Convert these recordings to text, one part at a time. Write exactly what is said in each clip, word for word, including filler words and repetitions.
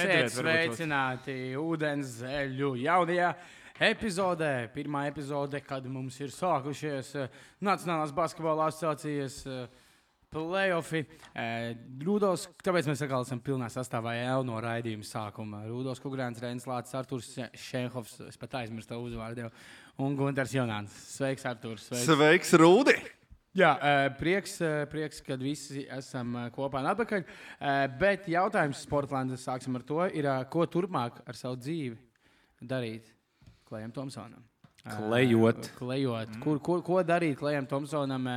Esiet sveicināti ūdens zeļu jaunajā epizodē. Pirmā epizode, kad mums ir sākušies Nacionālās basketbola asociācijas play-offi. Rūdos, tāpēc mēs atkal esam pilnā sastāvā jau no raidījuma sākuma. Rūdos Kugrēns, Reinis Lācis, Arturs Šenhovs, es pat aizmirstu tavu uzvārdu, un Gunters Jonāns. Sveiks, Arturs. Sveiks, Sveiks Rūdi! Jā, prieks, prieks, kad visi esam kopā un atpakaļ. Bet jautājums Sportlanda, sāksim ar to, ir, ko turpmāk ar savu dzīvi darīt Klejam Tomsonam? Klejot. Klejot. Kur, kur, ko darīt Klejam Tomsonam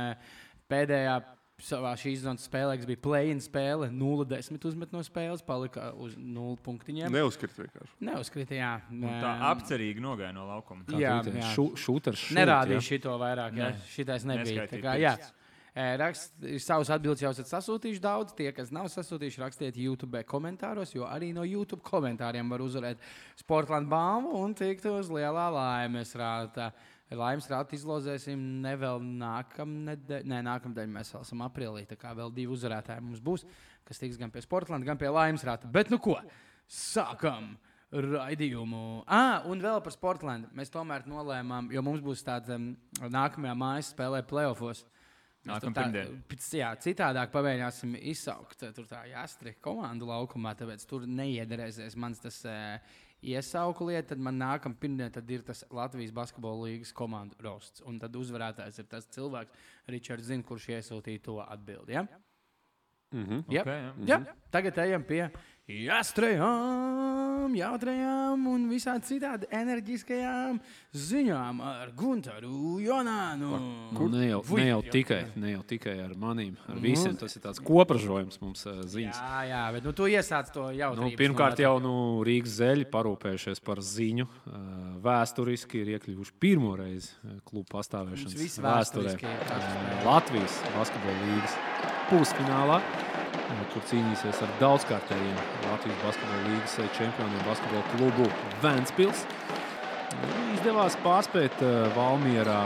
pēdējā savā šīs zonas spēlē, kas bija play-in spēle, nulle desmit uzmet no spēles, palika uz nulle punktiņiem. Neuzkrita vienkārši. Neuzkrita, jā. Un tā apcerīgi nogāja no laukuma. Jā, jā. Šūters šūt, Nerādīja jā. šito vairāk, jā. Ne. Šitais nebija. Tā kā, jā. Rakst, savus atbildes jau esat sasūtījuši daudz. Tie, kas nav sasūtījuši, rakstiet YouTube komentāros, jo arī no YouTube komentāriem var uzvarēt Sportland balvu un tikt uz lielā laimes rāta. Laimes rātu izlozēsim ne vēl nākamnedēļ, nē, nākamnedēļ mēs vēl esam aprīlī, tā kā vēl divi uzvarētāji mums būs, kas tiks gan pie Sportlanda, gan pie Laimes rāta. Bet nu ko, sākam raidījumu. Ah, un vēl par Sportlandu. Mēs tomēr nolēmām, jo mums būs tāds um, nākamajā mājas spēlē playoffos. Tā, jā, citādāk pamēģināsim izsaukt tur tā jāstri komandu laukumā, tāpēc tur neiederēsies mans tas uh, iesauku lieta, tad man nākam pirmdien tad ir tas Latvijas basketbola līgas komandu rosts. Un tad uzvarētājs ir tas cilvēks, Ričards zina, kurš iesūtīja to atbildi, ja? Mm-hmm. Yep. Okay, jā. Jā, tagad ejam pie jāstrajām, jautrajām un visādi citādi enerģiskajām ziņām ar Guntaru Jonānu. Nu, ne, jau, ne, jau tikai, ne jau tikai ar manīm, ar visiem. Tas ir tāds kopražojums mums uh, ziņas. Jā, jā, bet nu, tu iesāc to jautrības. Nu, pirmkārt jau nu, Rīgas zeļi parūpējušies par ziņu. Uh, vēsturiski ir iekļuvuši pirmo reizi klubu pastāvēšanas vēsturē. Uh, Latvijas basketbola līgas pusfinālā, kur cīnīsies ar daudzkārtējiem Latvijas basketbola līgas čempioniem basketbola klubu Ventspils. Izdevās pārspēt uh, Valmierā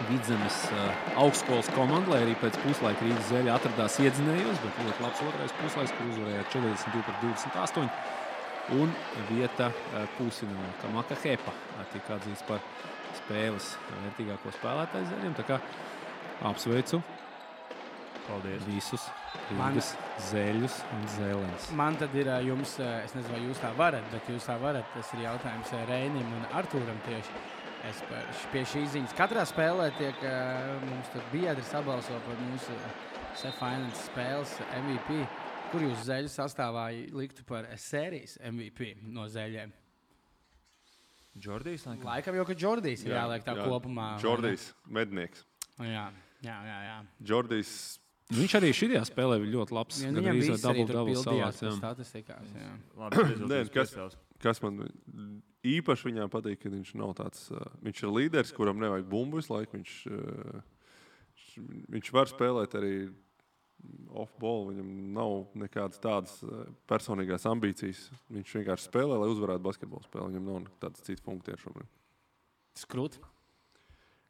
Vidzemes uh, augstskolas komandu, lai arī pēc puslaika Rīgas zeļa atradās iedzinējos, bet ļoti labs otrais puslaiks, kur uzvarēja četrdesmit divi pret divdesmit astoņi. Un vieta uh, pusfinālā, Kamaka Hepa tika atzīts par spēles vērtīgāko spēlētāju zeļiem. Tā kā apsveicu Paldies. Visus Rīgas zeļus un zēlens. Man tad ir jums, es nezinu, vai jūs tā varat, bet jūs tā varat. Tas ir jautājums Reinim un Artūram tieši. Es pie šīs ziņas. Katrā spēlē tiek mums tur biedri sabalso par mūsu Finance spēles M V P. Kur jūs zeļu sastāvā liktu par sērijas M V P no zeļiem? Džordijs? Laikam, laikam jau, ka Džordijs ir jā, jāliek tā jā, kopumā. Džordijs, mednieks. Jā, jā, jā. jā. Džordijs. Viņš arī šajā spēlē bija ļoti labs. Ja, gan arī dabū savās statistikās. Jā. Labi, Nē, kas, kas man īpaši viņā patīk, ka viņš nav tāds, uh, viņš ir līderis, kuram nevajag bumbu visu laiku. Viņš, uh, viņš var spēlēt arī off-ball, viņam nav nekādas tādas uh, personīgās ambīcijas. Viņš vienkārši spēlē, lai uzvarētu basketbolu spēli. Viņam nav tādas citas funkcijas šobrīd. Skrūt.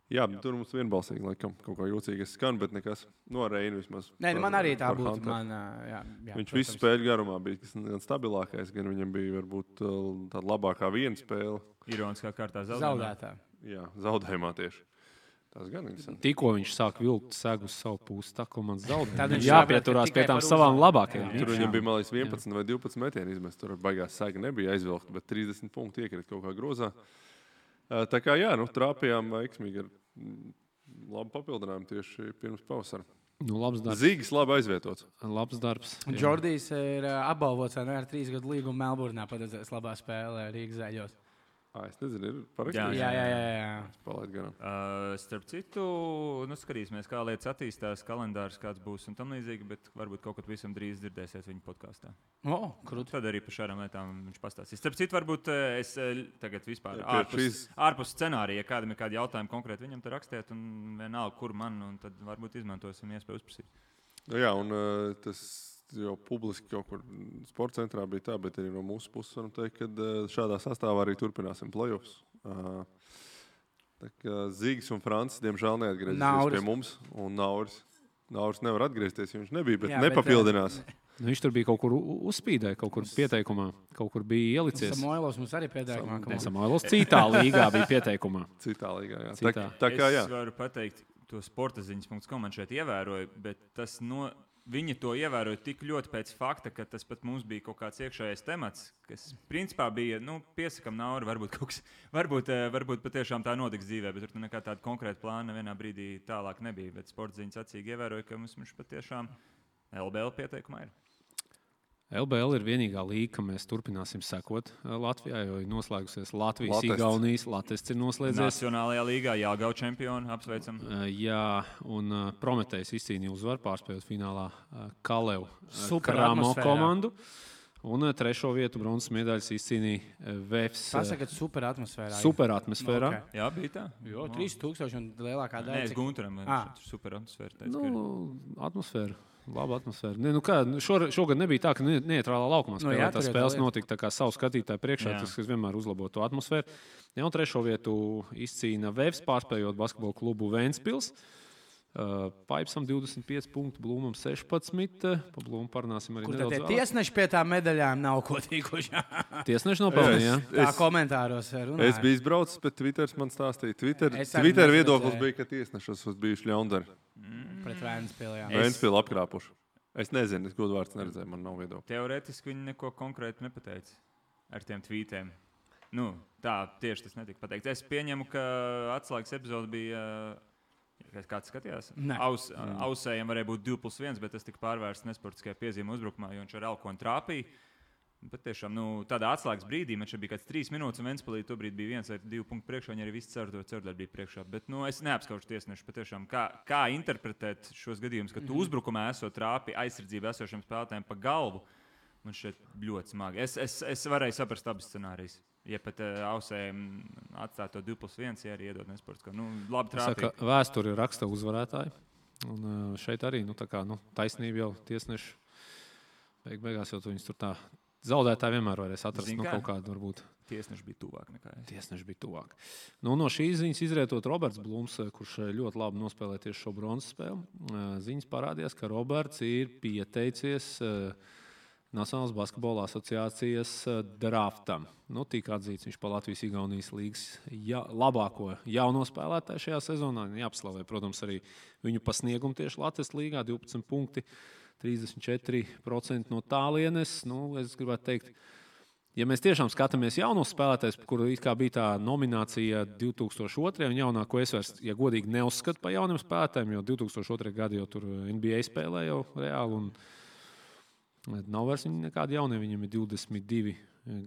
Jā, tur mums vienbalsīgi, laikam, kaut kā jūcīgi es skanu, bet nekas no Reina vismaz. Nē, man arī tā būtu. Man, jā, jā, viņš visu spēļu garumā bija gan stabilākais, gan viņam bija varbūt tāda labākā viena spēle. Ironiskā kārtā zaudētā. Jā, zaudējumā tieši. Tas gan interesanti. Tikko viņš sāk vilkt segu uz savu pusi, tā ko man zaudē. Tad viņš jāpieturās pie tām savām labākajām. Tur viņam bija malīs vienpadsmit vai divpadsmit metieni izmest. Tur baigās sega nebija aizvilkt, bet trīsdesmit punkti iekrita kaut kā grozā. Tā kā jā, nu, trāpījām veiksmīgi ar labu papildinājumu tieši pirms pavasara. Nu, labs darbs. Zīgis labi aizvietots. Labs darbs. Un Džordijs ir apbalvots ar trīs gadu līgumu Melburnā padedzēs labā spēlē Rīgas zeļos. Ā, es nezinu, ir parakstījis. Jā, jā, jā. jā. Palaid garām. Uh, starp citu, nu, skatīsimies, kā lietas attīstās, kalendārs kāds būs un tam līdzīgi, bet varbūt kaut kad visam drīz dzirdēsiet viņa podkāstā. O, krūt. Tad arī par šādām lietām viņš pastāstīs. Starp citu, varbūt es tagad vispār Jā, ārpus, šīs... ārpus scenārija, ja kādam ir kādi jautājumi konkrēti viņam te rakstiet un vienalga, kur man, un tad varbūt izmantosim iespēju uzprasīt. Jā, un uh, tas jau publiski kaut kur sporta centrā bija tā, bet arī no mūsu puses varam teikt, ka uh, šādā sastāvā arī turpināsim playoffs. Uh, tā kā Zīgis un Francis, diemžēl, neatgriezīsies pie mums, un Nauris. Nauris nevar atgriezties, jo viņš nebija, bet jā, nepapildinās. Bet, Nu, viņš tur bija kaut kur uzspīdē, kaut kur pieteikumā, kaut kur bija ielicies. Samoilovs mums arī pieteikumā. Ne, Samoilovs citā līgā bija pieteikumā. Citā līgā, jā. Citā. Tā, tā kā, jā. Es varu pateikt, to sportaziņas punkts kom man šeit ievēroju, bet tas no... Viņi to ievēroja tik ļoti pēc fakta, ka tas pat mums bija kaut kāds iekšējais temats, kas principā bija, nu, piesakam nauri, varbūt kaut kas, varbūt, varbūt patiešām tā notiks dzīvē, bet tur nekā tāda konkrēta plāna vienā brīdī tālāk nebija. Bet sportziņas acīgi ievēroja, ka mums viņš patiešām L B L pieteikumā ir. L B L ir vienīgā līga, ka mēs turpināsim sekot Latvijā, jo ir noslēgusies Latvijas, Latests. Igaunijas, Latests ir noslēdzies. Nacionālajā līgā jāgau čempionu, apsveicam. Uh, jā, un uh, Prometējs izcīnīja uzvaru, pārspējot finālā uh, Kalevu uh, Kramo komandu. Un uh, trešo vietu bronzas medaļas izcīnīja uh, Vēfs. Pasakat, super atmosfērā. Super atmosfērā. Okay. Jā, bija tā. Jo, trīs tūkstoši un lielākā daļa. Nē, es Gunteram, Ah. super atmosfēra. Teicu, Nu, atmosfēra. Laba atmosfēra. Ne, nu kā, šor, šogad nebija tā, ka ne, neitrālā laukumā spēlē. Nu, jā, Tās tur spēles ir notika tā kā savu skatītāju priekšā, Jā. tas, kas vienmēr uzlabo to atmosfēru. Ja, un trešo vietu izcīna Vēfs, pārspējot basketbola klubu Ventspils. Uh, Paipsam divdesmit pieci punkti, Blūmam sešpadsmit. Pa Blūmu parunāsim arī Kur nedaudz tad tie vēlāk. tiesneši pie tām medaļām nav ko tīkuši? Tiesneši nopelnīja. Es- Tā Es- komentāros runāja. Es biju izbraucis, bet Twitter man stāstīja. Twitter, Es arī Twitter nesaku, viedoklis jā. bija, ka tiesnešus uz bijuši ļaundari. Pret Vēnspili, jā. Es- Ventspili apkrāpuši. Es nezinu, es godu vārds neredzēju, man nav viedokļa. Teorētiski viņi neko konkrētu nepateica ar tiem tvītiem. Nu, tā tieši tas netika pateikts. Es pieņemu, ka atslēgas epizode bija. uh, Kāds skatījās? Nē. Aus, ausējiem varēja būt divi plus viens, bet tas tika pārvērsts nesportiskajā piezīmē uzbrukumā, jo viņš ar Elkonu trāpīja. Bet tiešām nu, tādā atslēgas brīdī man šeit bija kāds trīs minūtes, un Ventspilī tobrīd bija viens vai divi punkti priekšā, un arī viss ceru to ceru bija priekšā. Bet nu, es neapskaužu tiesnešu patiešām, kā, kā interpretēt šos gadījumus, ka tu uzbrukumā esot trāpi aizsardzībā esošiem spēlētājiem pa galvu. Man šeit ļoti smagi. Es, es, es varēju saprast abas scenārijas. Ja pat uh, ausējiem atstāja to divi plus viens, ja arī iedod nesportiskā. Nu, labi Saka, trāpīt. vēsturi raksta uzvarētāji. Un uh, šeit arī nu, tā kā, nu, taisnība jau tiesneši. Beig, beigās jau tu viņus tur tā zaudētāji vienmēr varēs atrast. Zini Nu, kā? kaut kādu varbūt. Tiesneši bija tuvāk nekā es. Tiesneši bija tuvāk. Nu, no šīs ziņas izrietot Roberts Blūms, kurš ļoti labi nospēlēja tieši šo bronzas spēli. Ziņas parādījās, ka Roberts ir pieteicies uh, Nacionālās basketbola asociācijas uh, draftam. Nu, tika atzīts viņš pa Latvijas Igaunijas līgas ja, labāko jauno spēlētāju šajā sezonā. Jāapslavē, protams, arī viņu pasniegumu tieši Latvijas līgā, divpadsmit punkti, trīsdesmit četri procenti no tālienes. Nu, es gribētu teikt, ja mēs tiešām skatāmies jaunos spēlētājus, kur it kā bija tā nominācija divi tūkstoši otrais un jaunāko es vairs, ja godīgi neuzskatu par jauniem spēlētājiem, jo divi tūkstoši otrais gadu jau tur N B A spēlē jau reāli un nav vairs viņi nekādi jaunie, viņiem ir divdesmit divi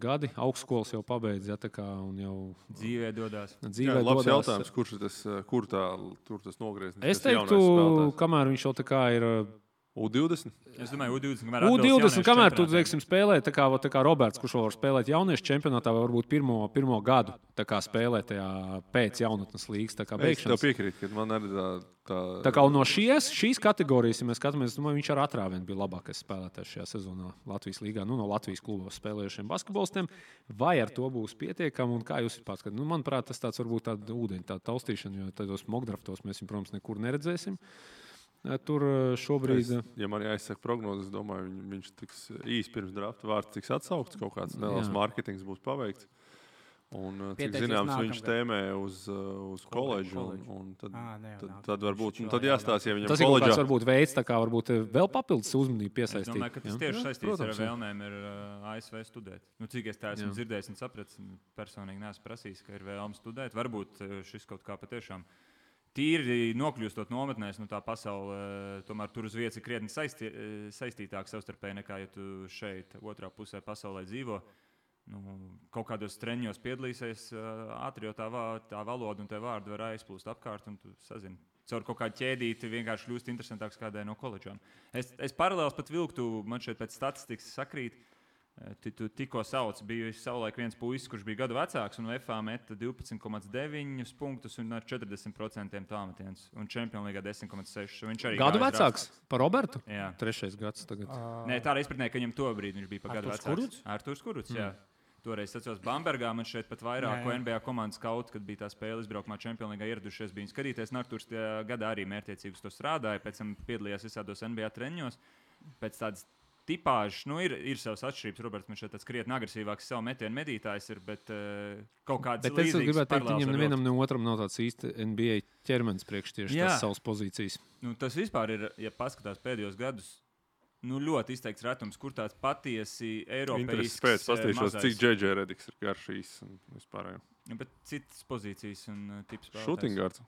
gadi, augstskolas jau pabeidz, ja, tā kā un jau Dzīvē dodās. dzīvē Jā, labs dodās. jautājums, kurš ir tas, kur tā, tur tas nogrieznis? Es tas jaunais teiktu, spēlētājs? kamēr viņš jau tā kā ir U divdesmit? Es domāju, U divdesmit, kamēr U atbilst divdesmit, jauniešu kamēr tu čempionātam. teiksim, spēlē, tā kā, tā kā Roberts, kurš var spēlēt jauniešu čempionātā, vai varbūt pirmo, pirmo gadu tā kā spēlē tajā pēc jaunatnes līgas tā kā Es tev beigšanas. piekrītu, ka man arī tā... tā... Tā kā no šies, šīs kategorijas, ja mēs skatāmies, domāju, viņš ar atrāvienu bija labākais spēlētājs šajā sezonā Latvijas līgā, nu, no Latvijas klubos spēlējušiem basketbolistiem. Vai ar to būs pietiekami un kā jūs pārskatāt? Nu, manuprāt, tas tāds varbūt tāda ūdeņa, tāda taustīšana, jo tādos mockdraftos mēs viņu, protams, nekur neredzēsim. Tur šobrīd... Es, ja man jāizsaka prognozes, domāju, viņ, viņš tiks īsi pirms drafta vārds tiks atsaukts, kaut kāds neliels Jā. mārketings būs paveikts. Un, cik Pieteicies zināms, nākamgad. viņš tēmē uz, uz koledžu. Un, koledžu. un tad, Ā, ne, jau tad, nāk. tad varbūt Viņš nu, vēl tad jāstāsta, ja viņam Tas ir kaut koledžā... kāds varbūt veids, tā kā varbūt vēl papildus uzmanību Es piesaistīt. domāju, ka tas jā? tieši Jā, saistīts protams, ar jā. vēlmēm ir uh, A S V studēt. Nu, cik es tā esmu Jā. dzirdējis un sapratis, personīgi neesmu prasījis, ka ir vēlme studēt. Varbūt uh, šis kaut kā patiešām tīri nokļūstot nometnēs, nu tā pasaule uh, tomēr tur uz vietas ir krietni saistī, uh, saistītāka savstarpēji nekā, ja tu šeit otrā pusē pasaulē dzīvo. Nu, kaut kādos treniņos piedalīsies uh, ātri, jo tā, va, tā valoda un tie vārdi var aizplūst apkārt, un tu sazini. Caur kaut kādu ķēdīti vienkārši kļūst interesantāks kādai no koledžām. Es, es paralēli pat vilktu, man šeit pēc statistikas sakrīt, tu, tu tikko sauc, bija savulaik viens puisis, kurš bija gadu vecāks, un F A meta divpadsmit komats deviņi punktus un ar četrdesmit procentiem tālmetienus, un Čempionu līgā desmit komats seši. Viņš arī Gadu gāja vecāks par Robertu? Jā. Trešais gads tagad. Nē, tā arī izpratnē, ka viņam to brīdi viņš bija pa gadu Arturs vecāks. Kurucs? Arturs Kurucs, jā. Toreiz atceros Bambergā, man šeit pat vairāk Jā, jā. N B A komandas kaut, kad bija tā spēle izbraukumā Čempionu līgā ieradušies, bija skatīties. Arturs tajā gadā arī mērķiecīgi uz to strādāja, pēc tam piedalījās visādos N B A treniņos. Pēc tādas tipāžs, nu, ir, ir savas atšķirības. Roberts viņš ir tāds krietni agresīvāks, savu metienu medītājs, ir, bet uh, kaut kāds bet līdzīgs. Bet es gribētu teikt, viņam nevienam ne otram nav tāds īsti N B A ķermenis priekš tieši tas savas pozīcijas. Nu, tas vispār ir, ja paskatās pēdējos gadus, nu, ļoti izteikts retums, kur tāds patiesi eiropeisks pēc pastīšos, cik J J Rediks ir garš īsts un vispārējo. Ja, bet citas pozīcijas un uh, tips spēlētājs. Šūtingards.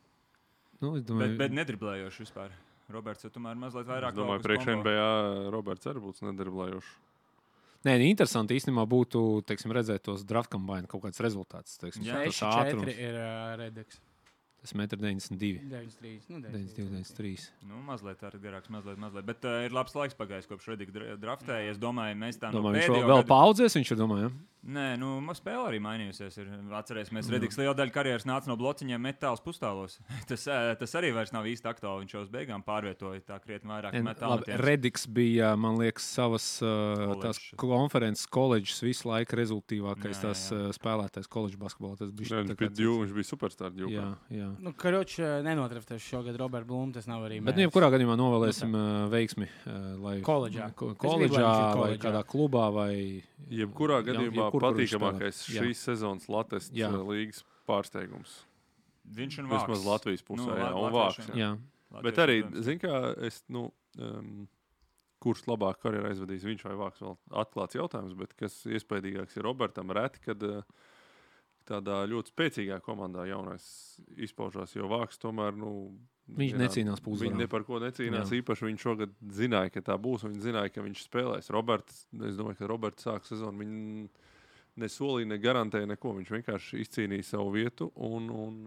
Nu, domāju... Bet, bet nedriblējoši vispār. Roberts jau tomēr mazliet vairāk. Es domāju, priekš N B A Roberts arī būtu nedriblējoši. Nē, interesanti īstenībā būtu, teiksim, redzēt tos draft combine kaut kāds rezultāts. Teiksim, jā, tas ātrums. Ir uh, Rediks. Tas metrs deviņdesmit divi. deviņdesmit trīs. Nu, deviņdesmit divi, deviņdesmit trīs. Nu, mazliet arī garāks, mazliet, mazliet. Bet uh, ir labs laiks pagājis, kopš Redika draftēja. Es domāju, mēs tā domāju, no viņš vēl, vēl paudzēs, viņš ir domāju, ja? Nē, nu, spēle arī mainījusies. Ir. Atcerēsimies, Rediks liela daļa karjeras nāca no blociņiem metāls pustālos. tas, tas arī vairs nav īsti aktuāli. Viņš jau uz beigām pārvietoja tā krietni vairāk metālu. Rediks bija, man liekas, savas uh, tās konferences koledžas visu laiku rezultīvākais jā, tās jā. spēlētājs koledžas basketbolā. Tas bija, jā, viņš, bija dju, viņš bija superstar djūkā. Jā, jā. Nu, karoč nenotraftēs šogad Robert Blum, tas nav arī mēs. Bet, nu, jebkurā gadījumā novēlēsim uh, veiksmi, uh, lai koledžā, ko, koledžā vai kādā klubā vai... Jebkurā gadījumā jā, patīkamākais šīs sezonas Latvijas līgas pārsteigums. Viņš un Vāks. Vismaz Latvijas pusē, nu, jā, un Vāks. Jā. Jā. Bet arī, zin kā, es, nu, um, kurš labāk karjeru aizvadīs, viņš vai Vāks, vēl atklāts jautājums, bet kas iespaidīgāks ir Robertam reti, kad uh, tādā ļoti spēcīgā komandā jaunais izpaužās, jo Vāks tomēr, nu, viņš jā, necīnās pusvarā. Viņi ne par ko necīnās. Jā. Īpaši viņš šogad zināja, ka tā būs. Viņš zināja, ka viņš spēlēs. Roberts, es domāju, ka Roberts sāk sezonu. Viņi ne solīja, ne garantēja neko. Viņš vienkārši izcīnīja savu vietu un, un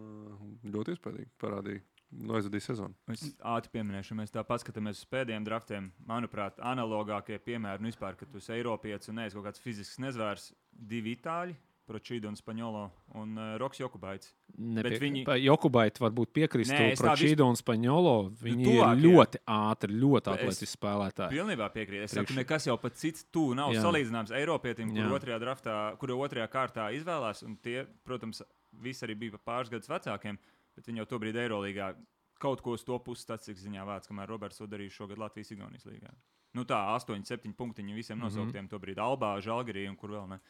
ļoti iespējīgi parādīja. Nu, aizvadīja sezonu. Es ātri pieminēšu, mēs tā paskatāmies uz pēdējiem draftiem. Manuprāt, analogākie piemēri, nu vispār, ka tu esi Eiropietis un neesi kaut kāds fizisks nezvērs, divi itāļi. Pročīdo un Spaņolo un uh, Roks Jokubaits. Nepie... Viņi... Jokubaiti varbūt piekristu. Pročīdo un Spaņolo, viņi tuvāk, ir ļoti ātri, ļoti atletiski spēlētāji. Pilnībā piekrīt. Es Priekš... saku, nekas jau pat cits tu nav jā. Salīdzināms Eiropietim, kur otrajā draftā, kuru otrajā kārtā izvēlās. Un tie, protams, visi arī bija pāris gadus vecākiem, bet viņi jau tobrīd Eirolīgā kaut ko uz to puses statistikas ziņā vāc, kamēr Roberts to darīja šogad Latvijas-Igaunijas līgā. Nu tā, astoņi, septiņi punktiņi visiem mm-hmm. nosauktiem tobrīd Albā, Žalgirī un kur vēl ne.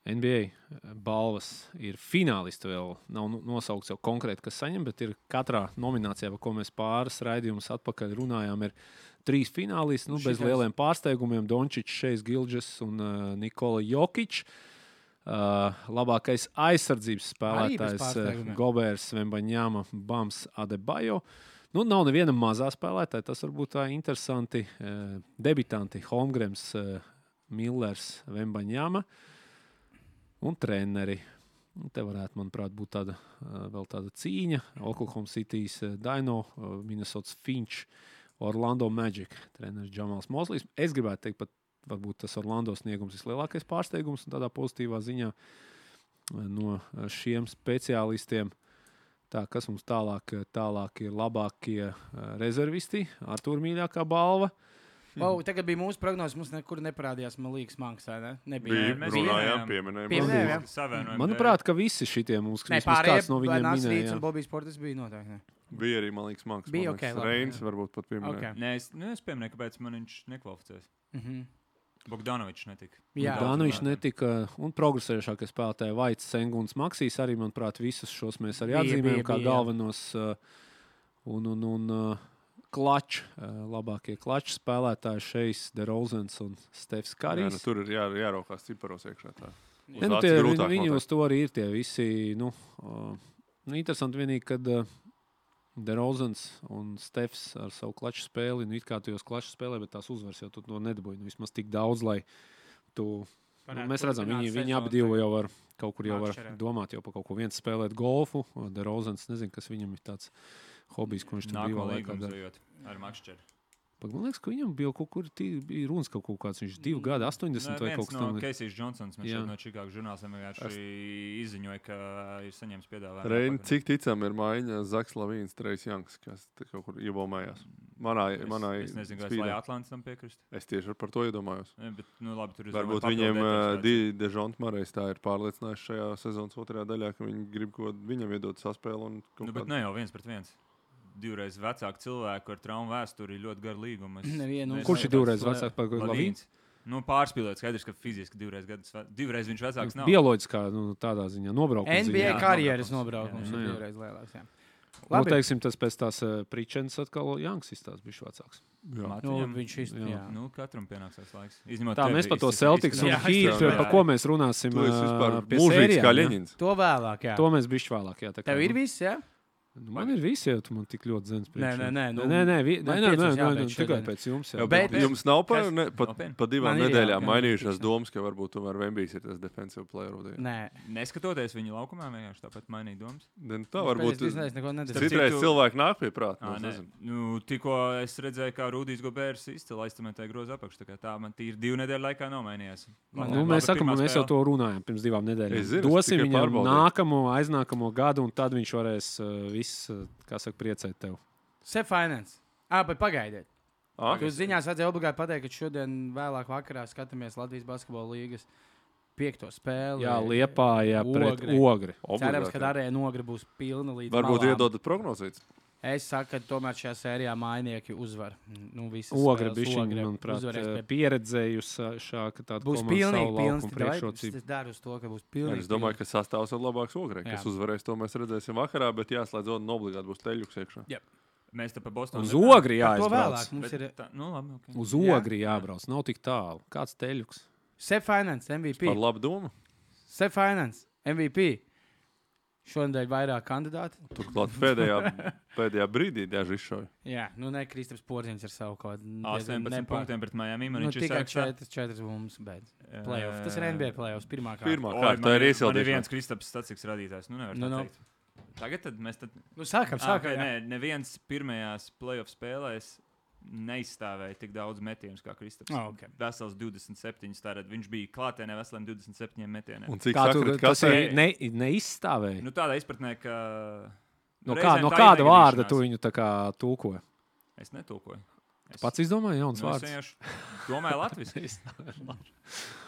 N B A balvas ir finālisti, vēl nav nosaukts jau konkrēti, kas saņem, bet ir katrā nominācijā, par ko mēs pāris raidījumus atpakaļ runājām, ir trīs finālisti, nu, bez lieliem pārsteigumiem. Dončičs, Šejs Gilģes un uh, Nikola Jokič. Uh, labākais aizsardzības spēlētājs Gobers, Vembaņāma, Bams Adebayo. Nu, nav neviena mazā spēlētāja, tas varbūt tā interesanti. Uh, debitanti Holmgrens, uh, Millers, Vembaņāma. Un treneri. Te varētu, manuprāt, būt tāda, vēl tāda cīņa. Oklahoma City's Dino, Minnesota's Finch, Orlando Magic, treneris Džamals Mozlijs. Es gribētu teikt, pat varbūt tas Orlando sniegums vislielākais pārsteigums un tādā pozitīvā ziņā no šiem speciālistiem. Tā, kas mums tālāk, tālāk ir labākie rezervisti, Artūra mīļākā balva. Wow, tagad bija mūsu prognozes, mums nekur neparādījās Malīgas Manksā, ne? Nebija. Bija, runājām, pieminējām. Pieminējām. Manuprāt, ka visi šitie mums, ne, kāds no viņiem minēja. Nē, pārējie, un Bobijs Portis bija noteikti, ne? Bija arī Malīgas Manks. Bija, ok, labi. Reins varbūt pat pieminēja. Okay. Nē, es, nu, es pieminēju, kāpēc man viņš nekvalificēs. Mhm. Bogdanovičs netika. Jā. Bogdanovičs netika, un progresējušākie spēlētāji Vaits, Senguns, Maksīs arī, manuprāt, visus šos mēs arī atzīmējam kā bija, galvenos un, un, un klačs, labākie klačs spēlētāji Šejs, DeRozans un Stefs Karijs. Jā, nu, tur ir jā, jāraukās ciparos iekšā tā. Ja, nu, tie, viņi, viņi uz to arī ir tie visi, nu, uh, nu interesanti vienīgi, kad uh, DeRozans un Stefs ar savu klaču spēli, nu, it kā tu jūs klaču spēlē, bet tās uzvars jau tu to nedabūji, nu, vismaz tik daudz, lai tu, nu, mēs redzam, viņi, viņi abi divi jau var, kaut kur jau var domāt jau par kaut ko viens spēlēt golfu, DeRozans, nezinu, kas viņam ir tāds hobijs, ko viņš tur bija laikā dara. Ar Makšķeri. Man liekas, ka viņam bija kaut kur bija runas kaut kāds, viņš divi gadi, astoņdesmit vai kaut kas tam. Viens no Keisijs Džonsons, mēs šeit no Čikāgas žurnālistiem vienkārši izziņoja, ka ir saņēmis piedāvājumu. Reini, cik ticam ir maiņa Zaks Lavīns, Trejs Janks, kas kaut kur iebaumējās. Manā, es, manā es nezinu, vai es lai Atlantis tam piekrist. Es tieši par to iedomājos. Ja, bet, nu, labi, tur varbūt viņiem Dežonts Marais tā ir pārliecinājuši šajā sezonas otrajā daļā, ka viņi grib ko viņam iedot saspēli. Un nu, bet ne jau viens pret viens. divreiz vecāku cilvēku ar traumu vēsturi ļoti garu līgumu. Es, Nevienu, es, Kurš ir divreiz vecāks par Lavīns? Nu, pārspīlēt, skaidrs, ka fiziski divreiz, gadus, divreiz viņš vecāks nav. Bioloģiskā, nu, tādā ziņā, nobraukums. N B A ziņā. karjeras nobraukums Jā, ir jā. divreiz lielāks. Jā. Nu, teiksim, tas pēc tās uh, Pričens atkal Janks izstās bišķi vecāks. Nu, viņš iz... Jā. jā. Nu, katram pienāksās laiks. Izņemot Tā, tevi, mēs par to izskatās- Celtics un Jā, Heat, jā. par ko mēs runāsim Tu esi vispār uh, pie mūžīgs sērijām, kā ja? Ļeņins. To vēlāk, jā. To mēs bišķi vēlāk, jā. Tā kā, Tev ir nu, viss, jā? Nu, man ir visi, ja tu man tik ļoti zins Nē, nē, nē, nu, nē, nē, vi, nē, man nē, nē, piecus nē, jābeidz nē, tikai šodien. pēc jums. Jā. Jā, Bet- bet jums nav pa, Kas? ne, pa, Nopietni? pa divām Man ir, jā, nedēļām gan mainījušās piecus, jā. domas, ka varbūt tomēr Vembijs ir tas defensive player of the year. Nē. Neskatoties viņa laukumā, vienkārši tāpat mainīja domas. Ne, nu Tā varbūt Es nezinu, neko nedaru. Starp citreiz citu- cilvēki nāk pie prāta. Ā, nu, es nē. nezinu. Nu, tikko es redzēju, kā Rudijs Gobērs izcēlīja aiztamētāju grozu apakšu. Tā kā tā man tīri divu nedēļu laikā nav mainījies. Man- Nu, Labi, mēs sakām, pirmā mēs jau spēle. to runājām pirms divām nedēļām. Es zinu, es Dosim tikai viņam pārbaudīju. nākamo, aiznākamo gadu, un tad viņš varēs uh, viss, uh, kā saka, priecēt tev. Sef Finance. Ā, bet pagaidiet. Ā? Jūs ziņās vajadzēja obligāti pateikt, ka šodien vēlāk vakarā skatāmies Latvijas basketbola līgas piekto spēli. Jā, Liepājā pret Ogri. Ogri. Cerams, Obligāti, ka jā. arī Ogri būs pilna līdz Varbūt malām. iedodat prognozīt. Es saku, ka tomēr šajā sērijā mainieki uzvar. Nu, visas Ogri spēles bišķiņi, Ogre manuprāt, uzvarēs pie- pieredzējusi šā, ka tāda Būs komanda pilnīgi savu pilns. laukumu Davai, priekšrocību. Es daru uz to, ka būs pilnīgi. Es domāju, ka sastāvs ir labāks Ogrē. Kas Jā. uzvarēs, to mēs redzēsim vakarā, bet jāslēdz un obligāti būs teļuks iekšā. Mēs te pa Bostonu. Uz Ogri Par to jāizbrauc. vēlāk mums ir Tā, nu, labi, okay. Uz Jā. Ogri jābrauc. Nav tik tālu. Kāds teļuks? Sef Finance M V P. Par labu domu. Sef Finance M V P. Šodien vairāk kandidāti. Turklāt pēdējā, pēdējā brīdī daži izšauja. Jā, nu ne Kristaps Porziņš ar savu kaut kādu astoņpadsmit punktiem pret Miami. Man Nu, viņš ir tikai sākšā. četras, četras bumbas, bet playoff. Tas ir N B A playoffs pirmā kārta. Pirmā Oi, kārta man ir Man ir iesildīšana. viens Kristaps statistikas radītājs. Nu, nevar Nu, tā nu. teikt. Tagad tad mēs tad... Nu, sākam, Ah, sākam. okay, jā. nē, neviens pirmajās playoff spēlēs neizstāvēja tik daudz metienus kā Kristaps. Ah, ok. Vesels divdesmit septiņi. Tātad viņš bija klātienē veseliem divdesmit septiņiem metieniem. Un cik Kā tu, sakrit, tas kas ir ne, neizstāvēja? Nu, tādā izpratnē, ka. No, nu, kā, reizēm no tā kāda ir vārda negadīšanās. tu viņu tā kā tulkoji? Es netulkoju. Es, Pats izdomāji jauns nu, es vārds. vienkārši domāju latviešu.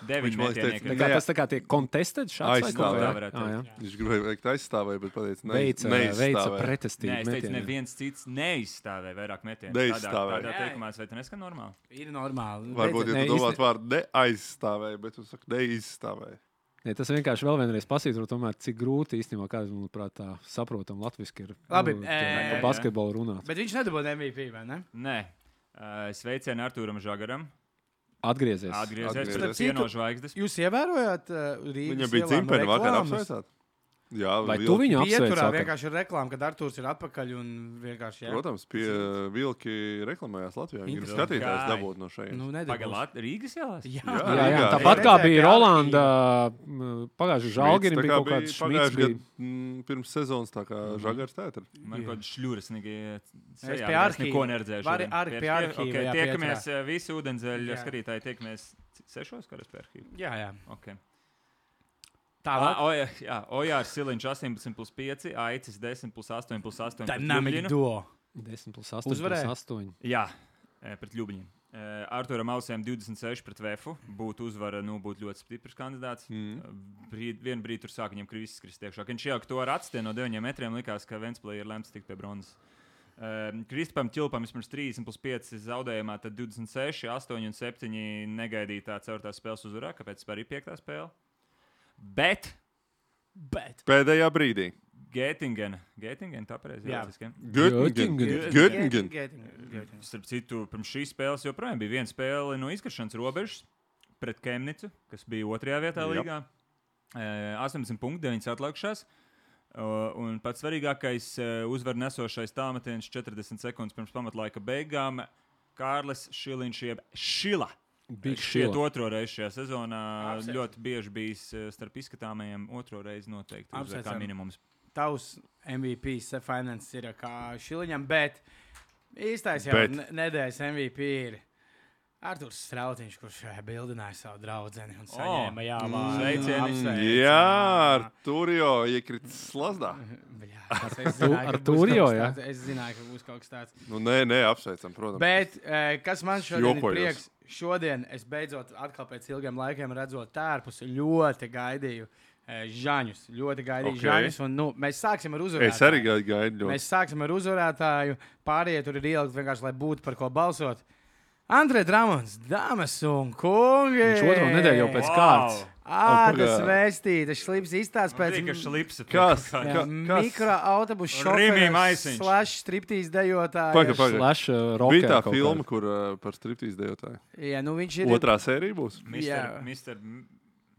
Deviņi Viņš man liekas, metienieki. Tā teica, kā Jā. tas tā kā tiek contested šāds vai Aizstāvēt. kā? Tā varētu Ah, jā. teikt. Viņš gribēja veikt aizstāvēju, bet pateica, ne, Veica, veica neizstāvēja. pretestību. Nē, es teicu, metieniem. neviens cits neizstāvēja vairāk metienu. Neizstāvēja. Tādā Jā. teikumā, vai tas neskan normāli? Ir normāli. Varbūt, ja Ne, tu domātu īsti- vārdu neaizstāvēja, bet tu saki neizstāvēja. Ne, tas vienkārši vēl vienreiz pasītro, tomēr, cik grūti īstenībā, kāda, manuprāt, tā saprotam latviski ir Labi, nu, ē, tie- jā, pa basketbolu runāt. Bet viņš nedabūja M V P, vai ne? Nē. Uh, Sveicienu Artūram Žagaram. Atgriezies. Atgriezies Atgriezies. pret cieno zvaigznes. Jūs ievērojāt uh, Rīgas Viņam bija ielām dzimteni vakar reklāmas? apsveicāt. Jā, Vai vilki- tu viņu apsveic? Pieturā vakar? vienkārši ir reklāma, kad Artūrs ir atpakaļ un vienkārši jā. Protams, pie vilki reklamējās Latvijā. Viņi grib Interesanti. skatītājs Kā? dabūt no šeit. Nu, nedabūs. Pagaidām, Rīgas ielās. Jā, Jā, Jā, jā, Rīgā. tāpat Es kā redzēju bija pie Rolanda, pagājušajā Žalgirim bija kaut kāds šmīts. pagājušajā Bija... gadā mm, pirms sezonas, tā kā Žagars tētra. Man kaut kāda šļūras nīgi. Es pie arhīva. Neko neredzēju. Vari šodien. ar- pie Pie arhīva, arhīva, okay, jā, tiekamies Pietrā. eh, visi ūdenzēļu Jā. skatītāji. Tiekamies sešos karas pie arhīva. jā, jā. Okay. Tālāk. Ah, Oja, jā, Ojārs Siliņš astoņpadsmit plus pieci, Aicis desmit plus astoņi plus astoņi. Dynamic duo. desmit plus astoņi Uzvarēja? plus astoņi. Jā, eh, pret Ļubiņiem. Eh, Arturam Ausēm divdesmit seši pret Vēfu. Būtu uzvara, nu, būtu ļoti stiprs kandidāts. Mm. Brīd, vienu brīdi tur sāk viņam krīzes krist iekšā. Kad viņš jau to ar atstienu no deviņiem metriem likās, ka Ventspilī ir lemts tikt pie bronzas. Uh, Kristupam Čilpam vismaz trīsdesmit plus pieci zaudējumā, tad divdesmit seši, astoņi un septiņi negaidītā ceturtās spēles uzvarā, kāpēc tā arī piektā spēle. Bet Bet. Pēdējā brīdī. Gētingena, Gētingena tā pareizi Jā. jāatcerās. Göttingen. Göttingen. Göttingen. Starp citu, pirms šīs spēles joprojām bija viena spēle no izkaršanas robežas pret Kemnicu, kas bija otrajā vietā Jap. līgā. Uh, astoņdesmit punkti, deviņas atlikušās. Uh, un pats svarīgākais uh, uzvaru nesošais tālmetiens četrdesmit sekundes pirms pamatlaika beigām - Kārlis Šiliņš, jeb Šila. Big Šķiet, Šila. otro reizi šajā sezonā Apsveicam. ļoti bieži bijis uh, starp izskatāmajiem. Otro reizi noteikti uzvar kā Apsveicam. minimums. Tavs M V P Sef Finance ir kā Šiliņam, bet īstais jau Bet. ne- nedēļas M V P ir Artūrs Strautiņš, kurš eh, bildināja savu draudzeni un saņēma jā, vārdu. sveicieni. Apsveicam. Jā, tur jau iekritis slazdā. Bļā, es zināju, ka Ar būs Tūrio, kaut kas jā? tāds. Es zināju, ka būs kaut kas tāds. Nu, nē, nē, apsveicam, protams. Bet eh, kas man šodien ir Jokojos. prieks? Šodien es beidzot, atkal pēc ilgiem laikiem redzot tērpus, ļoti gaidīju Žaņus. Ļoti gaidīju Okay. Žaņus. Un, nu, mēs sāksim ar uzvarētāju. Es arī gaidu ļoti. Mēs sāksim ar uzvarētāju. Pārējie tur ir ielikt vienkārši, lai būtu par ko balsot. Andrej Dramons, dāmas un kungi! Viņš otro nedēļu jau pēc kārtas. Ādas vēstītas, šlips izstāsts pēc... Tika šlips. Kas? Jā, Ka- kas? mikroautobusu Rimī šoferis Maisiņš. slash striptīs dejotāju. Paga, paga. Slash uh, Bija rocker tā kaut filma, kāda. kur uh, par striptīz dejotāju. Jā, nu viņš ir... Otrā sērija būs? Jā. mister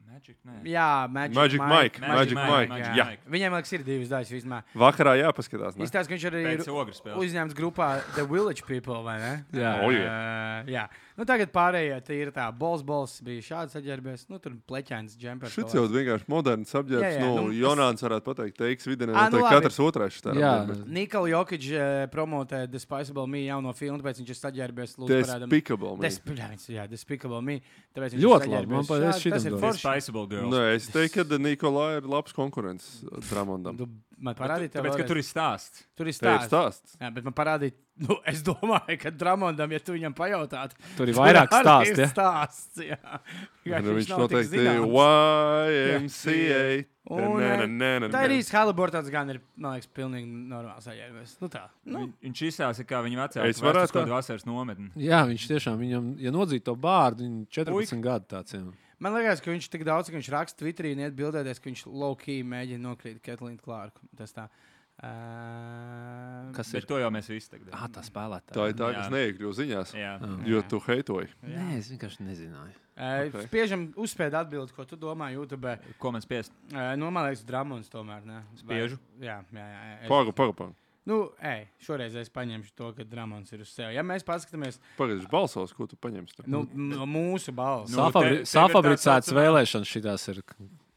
Magic, nē. Jā, Magic, Magic Mike. Magic Magic Mike, Mike. Magic Jā. Mike. Viņiem, liekas, ir divas daļas vismaz. Vakarā jāpaskatās. Ne? Izstāsta, ka viņš arī ir Pēc ogres spēles. uzņēmts grupā The Village People, vai ne? Jā. O, Uh, jā. Nu, tagad pārējie tie ir tā, bols, bols bija šāds saģērbies, nu, tur pleķēns, džempers. Šis jau vienkārši moderns apģērbs. Jā, jā, Nu, nu, Jonāns varētu pateikt, teiks vidienē, Ā, nu, noteikti labi. katrs otrais šitā Jā. apģērbs. Nikola Jokic uh, promotē Despicable Me jauno filmu, tāpēc viņš ir saģērbies. Lūdzu, parādam. Despicable. me. Despicable, jā, Despicable Me. Tāpēc viņš Ļoti ir labi, man saģērbies patīk šādi. šitam Tas ir domāt. forši. Spiceable Girls. Nē, es teiktu, ka Nikolai ir labs konkurents Dramondam. Tu man parādīji, tev Tāpēc, ka vēlreiz? tur ir stāsts. tur ir Tā ir stāsts. stāsts. Jā, bet man parādīja, nu, es domāju, ka Dramondam, ja tu viņam pajautātu, Tur ir vairāk arī stāstu. ir Ja? stāsts. Jā, Jā, Nu, viņš nav tik noteikti zināms. Y M C A. Un, Nē, eh, nē, nē, nē, Tā ir nē. īsta Haliburtons, gan ir, man liekas, pilnīgi normāls saģērbies. Nu tā, nu. Vi- Viņš izstāsta, kā viņa vecāki Es varētu kaut tā. kādu vasaras nometni. Jā, viņš tiešām, viņam, ja nodzītu to bārdu, viņam četrpadsmit gadu tāds. Jā. Man liekas, ka viņš tik daudz, ka viņš raksta Twitterī un iet bildēties, ka viņš low-key mēģina nokrīt Ketlīnu Klārku. Tas tā. Uh, Kas Bet ir? to jau mēs visi tagad. Ah, tā spēlētāja. Tā ir tā, Jā. kas neiekļuva ziņās. Jā. Jo tu heitoji. Nē, es vienkārši nezināju. Uh, Ok. Spiežam, uzspēj atbildēt, ko tu domā YouTube. Ko man spiest? Uh, nu, man liekas, Dramons tomēr. Ne? Spiežu? Vai- Jā, jā, jā. jā. Es, Paga, paga, paga. nu, ej, šoreiz es paņemšu to, ka Dramons ir uz sevi. Ja mēs paskatāmies, Pagaidzi, balsos, ko tu paņemsi. nu, m- mūsu balss. Nu, Safabri te- te ir Safabricētas tā saucamā- vēlēšanas šitās ir.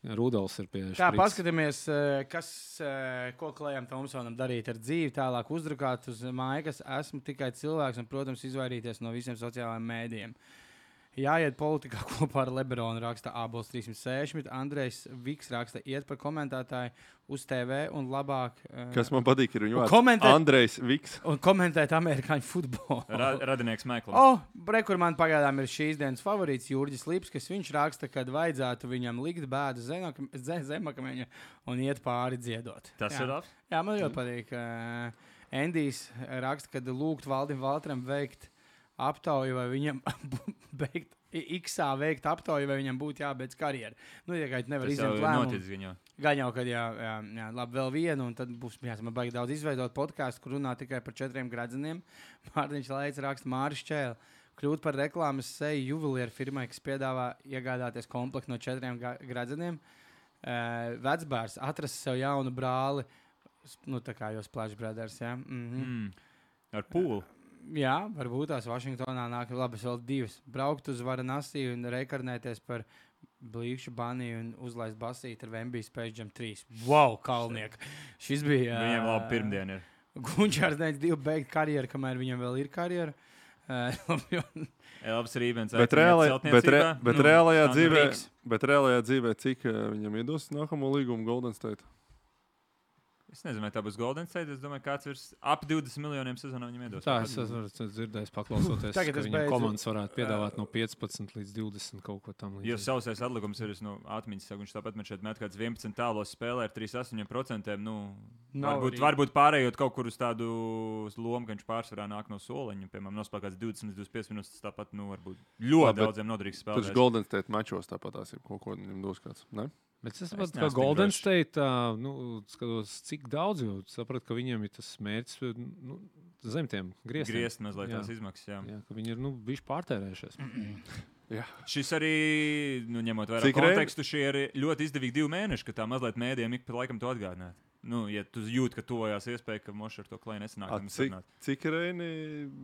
Rudolfs ir pie Tā, šprits. paskatāmies, eh, kas, eh, ko Klējam Tomsonam darīt ar dzīvi, tālāk uzdrukāt uz mājas. Esmu tikai cilvēks un, protams, izvairīties no visiem sociālajiem mēdījiem. Jāiet politikā kopā ar Lebronu, raksta Ābols trīsimt seši. Andrejs Viks raksta, iet par komentētāju uz T V un labāk eh, Kas man patīk, ir viņa Un vārds. komentēt- Andrejs Viks. un komentēt amerikāņu futbolu. Ra radinieks Meklams. O, bre, kur man pagaidām ir šīs dienas favorīts Jurģis Lips, kas viņš raksta, kad vajadzētu viņam likt bēdu zemaka- ze- zemakameņa un iet pāri dziedot. Tas Jā. ir labs. Jā, man ļoti patīk. Uh, Endijs raksta, kad lūgt Valdim Valtram veikt aptauju, vai viņam beigt, X-ā veikt aptauju, vai viņam būtu jābeidz karjera. Nu, ja kā nevar Tas jau izņemt ir lēmumu. noticis viņam. Gan jau, kad jā, jā, jā, labi, vēl vienu, un tad būs jāsama baigi daudz izveidot podkāstu, kur runā tikai par četriem gradzeniem. Mārtiņš Leids raksta Māris Čēli. Kļūt par reklāmas seju juvelieru firmai, kas piedāvā iegādāties komplektu no četriem ga- gradzeniem. Uh, vecbārs atrast sev jaunu brāli, s- nu tā kā jau Splash Brothers, jā. Mhm. Mm. Ar pūli. Jā, varbūt tās Vašingtonā nāk labi, vēl divas. Braukt uz Varanasi un rekarnēties par blīkšu baniju un uzlaist basīti ar Vembijas Space Jam trīs. Wow, kalniek! Šis bija... Viņiem labi pirmdien ir. Gunčārs neic divu beigt karjeru, kamēr viņam vēl ir karjera. Uh, Labs rībens. Bet, reālai, bet, re, bet, Nu, reālajā Sandra dzīvē, Rīgs. bet reālajā dzīvē, cik eh, viņam iedos nākamo līgumu Golden State? Es nezinu, vai tā būs Golden State. Es domāju, kāds virs ap divdesmit miljoniem sezonā viņam iedos. Tā es esmu dzirdējis, paklausoties, Tagad ka es viņam beidzu. komandas varētu piedāvāt no piecpadsmit līdz divdesmit kaut ko tam Jo līdzīgu. sausais atlikums ir nu, atmiņas, saka, viņš tāpat man šeit met kāds vienpadsmit tālos spēlē ar trīs astoņiem procentiem. Nu, Nav varbūt, arī. varbūt pārējot kaut kur uz tādu lomu, ka viņš pārsvarā nāk no soliņa. Piemēram, nospēlēt kāds divdesmit līdz divdesmit piecas minūtes. Tas tāpat nu, varbūt ļoti Labi, bet daudziem noderīgs Tur spēlētājs. Golden State mačos tāpat tās ir kaut ko viņam dos kāds. Ne? Bet es Es saprotu, neesmu ka tik Golden drošs. State, tā, nu, skatos, cik daudz, jo sapratu, ka viņiem ir tas mērķis nu, zem tiem grieztiem. Griezt mazliet Jā. tās izmaksas. Jā. Jā, ka viņi ir nu, bijuši pārtērējušies. Jā. Šis arī, nu, ņemot vērā Cik reizes? kontekstu, šie ir ļoti izdevīgi divi mēneši, ka tā mazliet mēdījiem ik pa laikam to atgādināt. Nu, ja tu jūti, ka tuvojās iespēja, ka Mošs ar to klēju nesanāk, A, tad cik, sarunāt. cik reini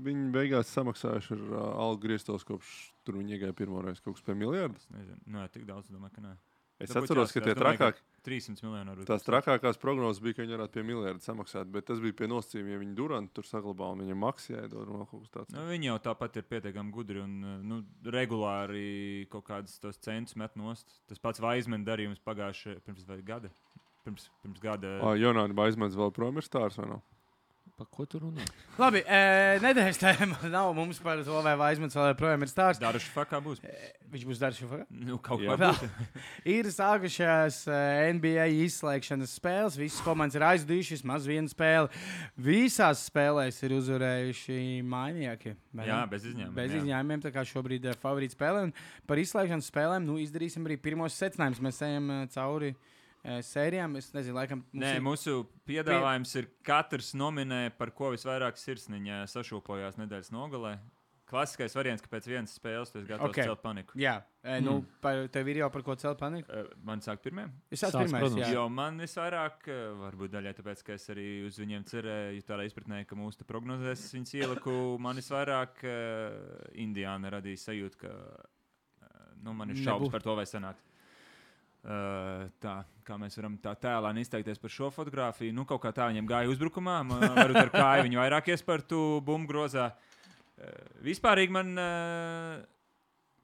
viņi beigās samaksājuši ar uh, algu grieztos, kopš tur viņi iegāja pirmo reizi kaut kas pie miljardu? Es nezinu, nu, jā, tik daudz, domāju, ka nē. Es Varbūt atceros, ka jāskatās, tie domāju, trakāk, trīssimts miljoni varbūt. tās trakākās prognozes bija, ka viņi varētu pie miljardu samaksāt, bet tas bija pie nosacījuma, ja viņi Durantu tur saglabā un viņam maksā jāiedod un vēl kaut kas tāds. Nu, viņi jau tāpat ir pietiekami gudri un nu, regulāri kaut kādus tos centus met nost. Tas pats Vaismena darījums pagājušajā pirms vai gada. Pirms, pirms gada. Ā, Jonāna Baizmans vēl prom ir stārs vai nav? Pa ko tu runā? Labi, e, nedēļas tēma nav mums par to, vai Vaismans vēl projām ir stāsts. Daršu fakā būs. E, viņš būs daršu fakā? Nu, kaut kā būs. Ir sākušās N B A izslēgšanas spēles. Visas komandas ir aizdujušas, maz viena spēle. Visās spēlēs ir uzvarējuši mainieki. Jā, bez izņēmumiem. Bez izņēmumiem, tā kā šobrīd ir favorīta spēle. Un par izslēgšanas spēlēm nu, izdarīsim arī pirmos secinājumus. Mēs ejam cauri sērijām. Es nezinu, laikam. Nē, ir... mūsu piedāvājums ir katrs nominē, par ko visvairāk sirsniņa sašūpojās nedēļas nogalē. Klasiskais variants, ka pēc vienas spēles tu esi gatavs okay. celt paniku. Jā, e, nu, mm. par, tev ir jau par ko celt paniku? Man sāk pirmiem? Es sāku pirmais, jā. Jo man visvairāk, varbūt daļai tāpēc, ka es arī uz viņiem cerēju tādā izpratnē, ka mūsu te prognozēs viņas ieliku, man visvairāk uh, Indiāna radīja sajūtu, ka uh, nu, man ir šaubas par to, vai sanāk. Uh, tā, kā mēs varam tā tēlāni izteikties par šo fotogrāfiju. Nu, kaut kā tā viņam gāja uzbrukumā. Varbūt ar kāju viņu vairāk iespartu bumbu grozā. Uh, vispārīgi man uh,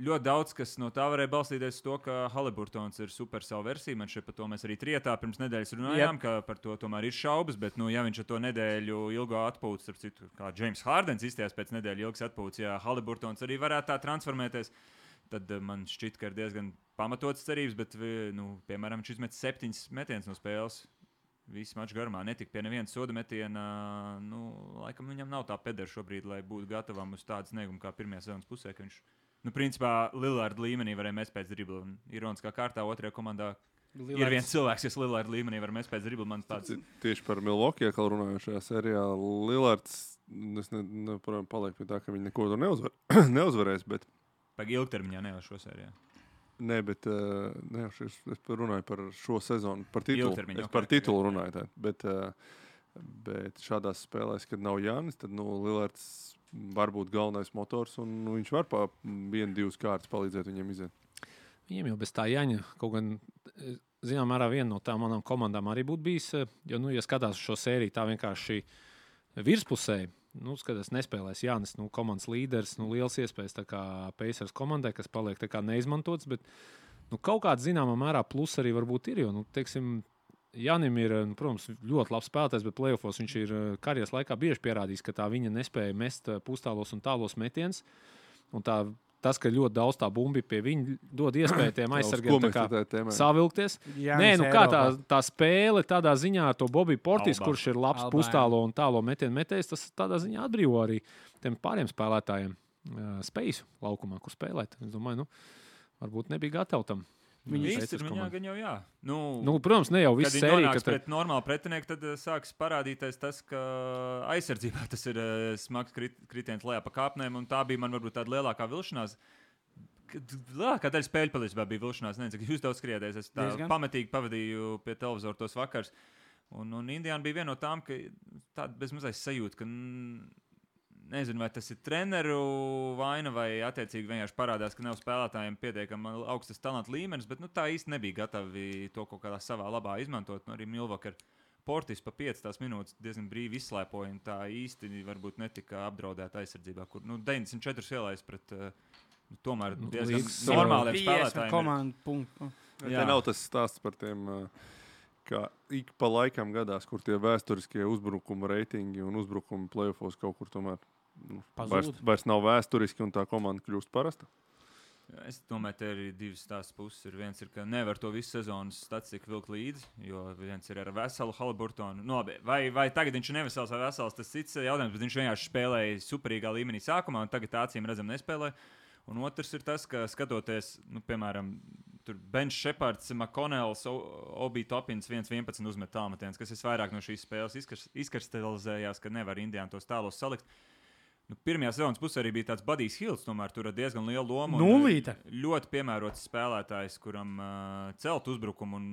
ļoti daudz, kas no tā varēja balstīties to, ka Haliburtons ir super savu versiju. Man šeit par to mēs arī trietā pirms nedēļas runājām, yep. ka par to tomēr ir šaubas, bet, nu, ja viņš ar to nedēļu ilgo atpūtas, starp citu, kā James Hardens izstājās pēc nedēļu ilgas atpūtas, ja Haliburtons arī varētu tā transformēties, tad uh, man šķiet, ka ir diezgan pamatotas cerības, bet, nu, piemēram, viņš izmet septiņas metienas no spēles. Visu maču garumā netika pie nevienas soda metiena. Nu, laikam viņam nav tā pedera šobrīd, lai būtu gatavam uz tādu sniegumu kā pirmajā sezonas pusē, ka viņš, nu, principā, Lillard līmenī varēja mest pēc dribla. Un ironiskā kārtā otrajā komandā Lillards. Ir viens cilvēks, kas Lillard līmenī var mest pēc dribla. Man tāds... Tieši par Milwaukee, kā runājušajā sērijā, Lillards, es ne, ne, paliek pie tā, ka viņi neko tur neuzvar, neuzvarēs, bet... Pag ilgtermiņā nevar šo sērijā. Nē, bet uh, ne, es, es runāju par šo sezonu, par titulu. Ilgtermiņu, es okay, par titulu okay, runāju. Tā. Bet, uh, bet šādās spēlēs, kad nav Jānis, tad nu, Lillards var būt galvenais motors, un nu, viņš var pa vienu, divas kārtas palīdzēt viņiem iziet. Viņiem jau bez tā Jāņa kaut gan, zinām, mērā viena no tām manām komandām arī būtu bijis, jo, nu, ja skatās šo sēriju tā vienkārši virspusē, nu, skatās, nespēlēs Jānis, nu, komandas līderis, nu, liels iespējas tā kā Pacers komandai, kas paliek tā kā neizmantots, bet, nu, kaut kāds zināmā mērā plus arī varbūt ir, jo, nu, teiksim, Jānim ir, nu, protams, ļoti labs spēlētājs, bet play-offos viņš ir karjeras laikā bieži pierādījis, ka tā viņa nespēja mest pustālos un tālos metiens, un tā tas, ka ļoti daudz tā bumbi pie viņa dod iespēju tiem aizsargiem savilkties. Jā, nē, nu kā tā, tā spēle tādā ziņā ar to Bobby Portis, Alba. Kurš ir labs Alba, pustālo un tālo metienu metējs, tas tādā ziņā atbrīvo arī tiem pāriem spēlētājiem uh, spēju laukumā, kur spēlēt. Es domāju, nu, varbūt nebija gatavi tam. Viņi ir viņā gan jau jā. Nu, nu, protams, ne jau viss sērija. Kad viņi nonāks pret normālu pretinieku, tad uh, sāks parādīties tas, ka aizsardzībā tas ir uh, smags krit, kritiens lejā pa kāpnēm, un tā bija man varbūt tāda lielākā vilšanās. Lielākā daļa spēļu patiesībā bija vilšanās. Nezinu, cik jūs daudz skriedēs. Es tā Diezgan. pamatīgi pavadīju pie televizora tos vakars. Un, un Indiāna bija viena no tām, ka tāda bezmazais sajūta, ka nezinu, vai tas ir treneru vaina, vai attiecīgi vienkārši parādās, ka nav spēlētājiem pietiekami augstas talanta līmenis, bet nu, tā īsti nebija gatavi to kaut kādā savā labā izmantot. Nu, arī Milwaukee ar Portis pa piecas minūtes diezgan brīvi izslēpoja, un tā īsti varbūt netika apdraudēta aizsardzībā, kur nu, deviņdesmit četri ielais pret nu, tomēr diezgan nu, normāliem spēlētājiem. Komandu, te nav tas stāsts par tiem, ka ik pa laikam gadās, kur tie vēsturiskie uzbrukuma reitingi un uzbrukuma play-offos kaut kur tomēr nu, vairs, vairs nav vēsturiski un tā komanda kļūst parasta? Es domāju, ka ir divas tās puses. Ir viens ir, ka nevar to visu sezonas statistiku vilkt līdzi, jo viens ir ar veselu Haliburtonu. Nu, labi, vai, vai tagad viņš ir nevesels vai vesels, tas cits jautājums, bet viņš vienkārši spēlēja superīgā līmenī sākumā un tagad acīm redzam nespēlē. Un otrs ir tas, ka skatoties, nu, piemēram, tur Bench Shepards, McConnells, Obi Topins viens vienpadsmit uzmet tālmetiens, kas visvairāk no šīs spēles izkristalizējās, ka nevar Indiāna tos tālos salikt. Nu, pirmajā sezonas pusē arī bija tāds Budijs Hills, tomēr tur ar diezgan lielu lomu. Nulīte. Ļoti piemērots spēlētājs, kuram uh, celt uzbrukumu un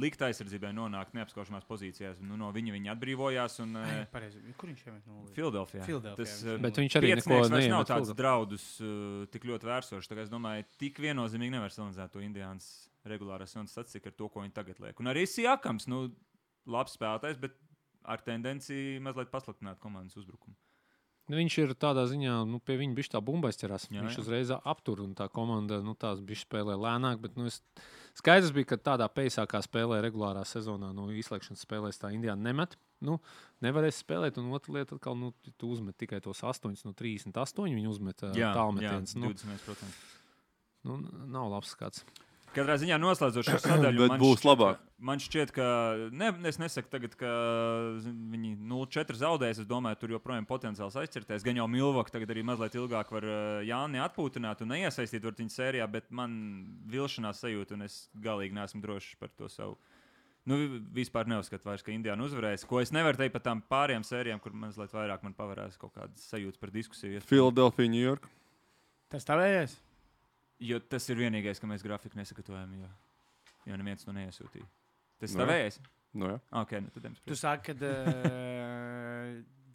likt aizsardzībai nonākt neapskaužamās pozīcijās. Nu, no viņa viņa atbrīvojās. Un, uh, Ai, pareizi. Kur viņš jau ir nulīte? Filadelfijā. Tas, uh, Bet viņš arī neko neiemet. Nav tāds draudus uh, tik ļoti vērsošs. Tā kā es domāju, tik viennozīmīgi nevar salīdzināt to Indiānas regulārās sezonas statistiku ar to, ko viņi tagad liek. Un arī Siakams, nu, labs spēlētājs, bet ar tendenciju mazliet pasliktināt komandas uzbrukumu. Viņš ir tādā ziņā, nu, pie viņa bišķi tā bumba aizķerās. Jā, viņš jā. uzreiz aptur, un tā komanda, nu, tās bišķi spēlē lēnāk, bet, nu, es Skaidrs bija, ka tādā peisākā spēlē regulārā sezonā no izslēgšanas spēlēs tā Indiāna nemet. Nu, nevarēs spēlēt, un otra lieta atkal, nu, tu uzmet tikai tos astoņus no trīsdesmit astoņi, viņi uzmet tālmetiens. Jā, divdesmit procenti. Nu, nav labs skats. Katrā ziņā noslēdzot šo sadaļu, bet būs labāk. Man šķiet, ka ne, es nesaku tagad, ka viņi nulle četri zaudēs. Es domāju, tur joprojām potenciāls aizķerties. Gan jau Milvoka tagad arī mazliet ilgāk var Jāni atpūtināt un neiesaistīt viņa sērijā, bet man vilšanās sajūta, un es galīgi neesmu drošs par to savu. Nu, vispār neuzskatu vairs, ka Indiāna uzvarēs. Ko es nevaru teikt par tām pārējām sērijām, kur mazliet vairāk man pavarās kaut kādas sajūtas par diskusiju. Philadelphia, New York. Tas tavējies? Jo tas ir vienīgais, ka mēs grafiku nesagatavojam, jo, jo neviens to neiesūtīja. Tas No tavējies? No jā. Okay, nu, tad tu saki, ka uh,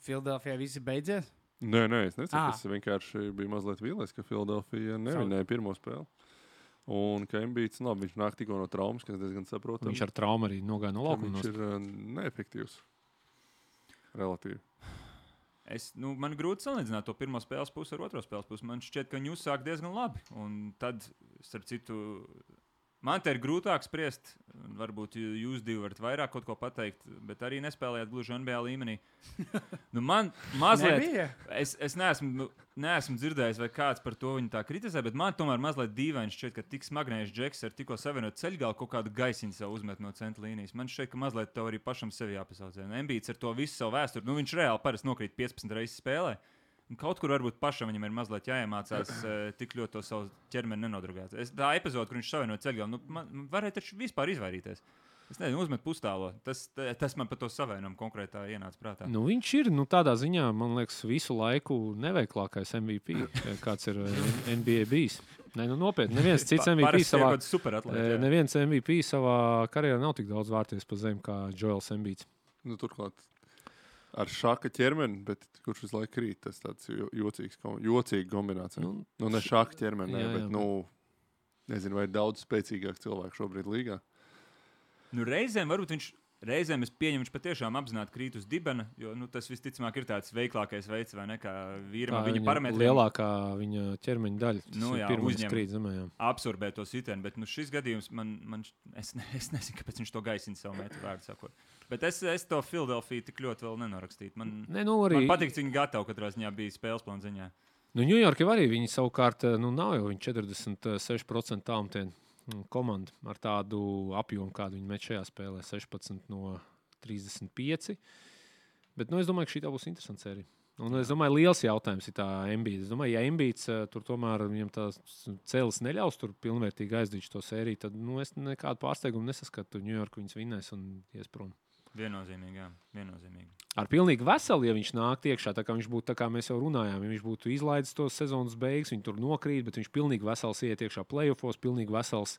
Philadelphia visi beidzies? Nē, nē, es nesaku. Ah. Es vienkārši biju mazliet vīlies, ka Philadelphia nevinēja pirmo spēli. Un ka Embiids, labi, viņš nāk tikko no traumas, kas diezgan saprotams. Viņš ar traumu arī nogāja no laukuma. Viņš ir uh, neefektīvs. Relatīvi. Es, nu, man grūti salīdzināt to pirmo spēles pusi ar otro spēles pusi. Man šķiet, ka viņi uzsāk diezgan labi. Un tad, starp citu, man te ir grūtāk spriest. Varbūt jūs divi varat vairāk kaut ko pateikt, bet arī nespēlējāt gluži N B A līmenī. Nu, man mazliet, es, es neesmu, neesmu dzirdējis, vai kāds par to viņu tā kritizē, bet man tomēr mazliet dīvaini šķiet, ka tik smagnējs Džeks ar tikko savienot ceļgalu kaut kādu gaisiņu sev uzmet no centra līnijas. Man šķiet, ka mazliet tev arī pašam sevi jāpasaucē. Embiids ar to visu savu vēsturi, nu viņš reāli parasti nokrīt piecpadsmit reizes spēlē. Un kaut kur varbūt pašam viņam ir mazliet jāiemācās uh, tik ļoti to savu ķermeni nenodrugāt. Es, tā epizode, kur viņš savienoja ceļgalu, nu, man varēja taču vispār izvairīties. Es nezinu, uzmet pustālo. Tas, tas man par to savienojumu konkrētā ienāca prātā. Nu, viņš ir nu, tādā ziņā, man liekas, visu laiku neveiklākais M V P, kāds ir N B A bijis. Ne, nu, nopietni, neviens cits M V P savā, atlēt, neviens M V P savā karjerā nav tik daudz vārties pa zemi kā Joels Embiids. Nu, turklāt ar šāka ķermeni, bet kurš visu laiku krīt, tas tāds jocīgs, jocīga kombinācija. Nu, nu ne šāka ķermeni, jā, bet, jā, nu, nezinu, vai ir daudz spēcīgāk cilvēku šobrīd līgā. Nu, reizēm varbūt viņš, reizēm es pieņemu, viņš patiešām apzināti krīt uz dibena, jo, nu, tas visticamāk ir tāds veiklākais veids, vai ne, kā vīram ar viņa parametriem. Lielākā viņa ķermeņa daļa, tas nu, jā, pirmais krīt zemē, jā. Absorbē to sitienu, bet, nu, šis gadījums man, man es, ne, es nezinu, kāpēc viņš to gaisina savu metru vārdu sakot. Bet es, es to Philadelphia tik ļoti vēl nenorakstītu. Man, ne, nu, arī... man patīk, cik viņi gatavi katrā ziņā bija spēles plāna ziņā. Nu, New York jau arī viņi savukārt, nu, nav jau viņi četrdesmit seši procenti tālmetienu komanda ar tādu apjomu, kādu viņi met šajā spēlē, sešpadsmit no trīsdesmit pieci. Bet, nu, es domāju, ka šī tā būs interesanta sērija. Un es domāju, liels jautājums ir tā Embiids. Es domāju, ja Embiids tur tomēr viņam tās cēlis neļaus tur pilnvērtīgi aizdīt to sēriju, tad, nu, es nekādu pārsteigumu nesaskatu. New York viņus vinnēs un ies prom. Viennozīmīgi, jā. Viennozīmīgi. Ar pilnīgi veselu, ja viņš nāk iekšā, tā kā viņš būtu, tā kā mēs jau runājām, ja viņš būtu izlaidis tos sezonas beigas, viņi tur nokrīt, bet viņš pilnīgi vesels iet iekšā playoffos, pilnīgi vesels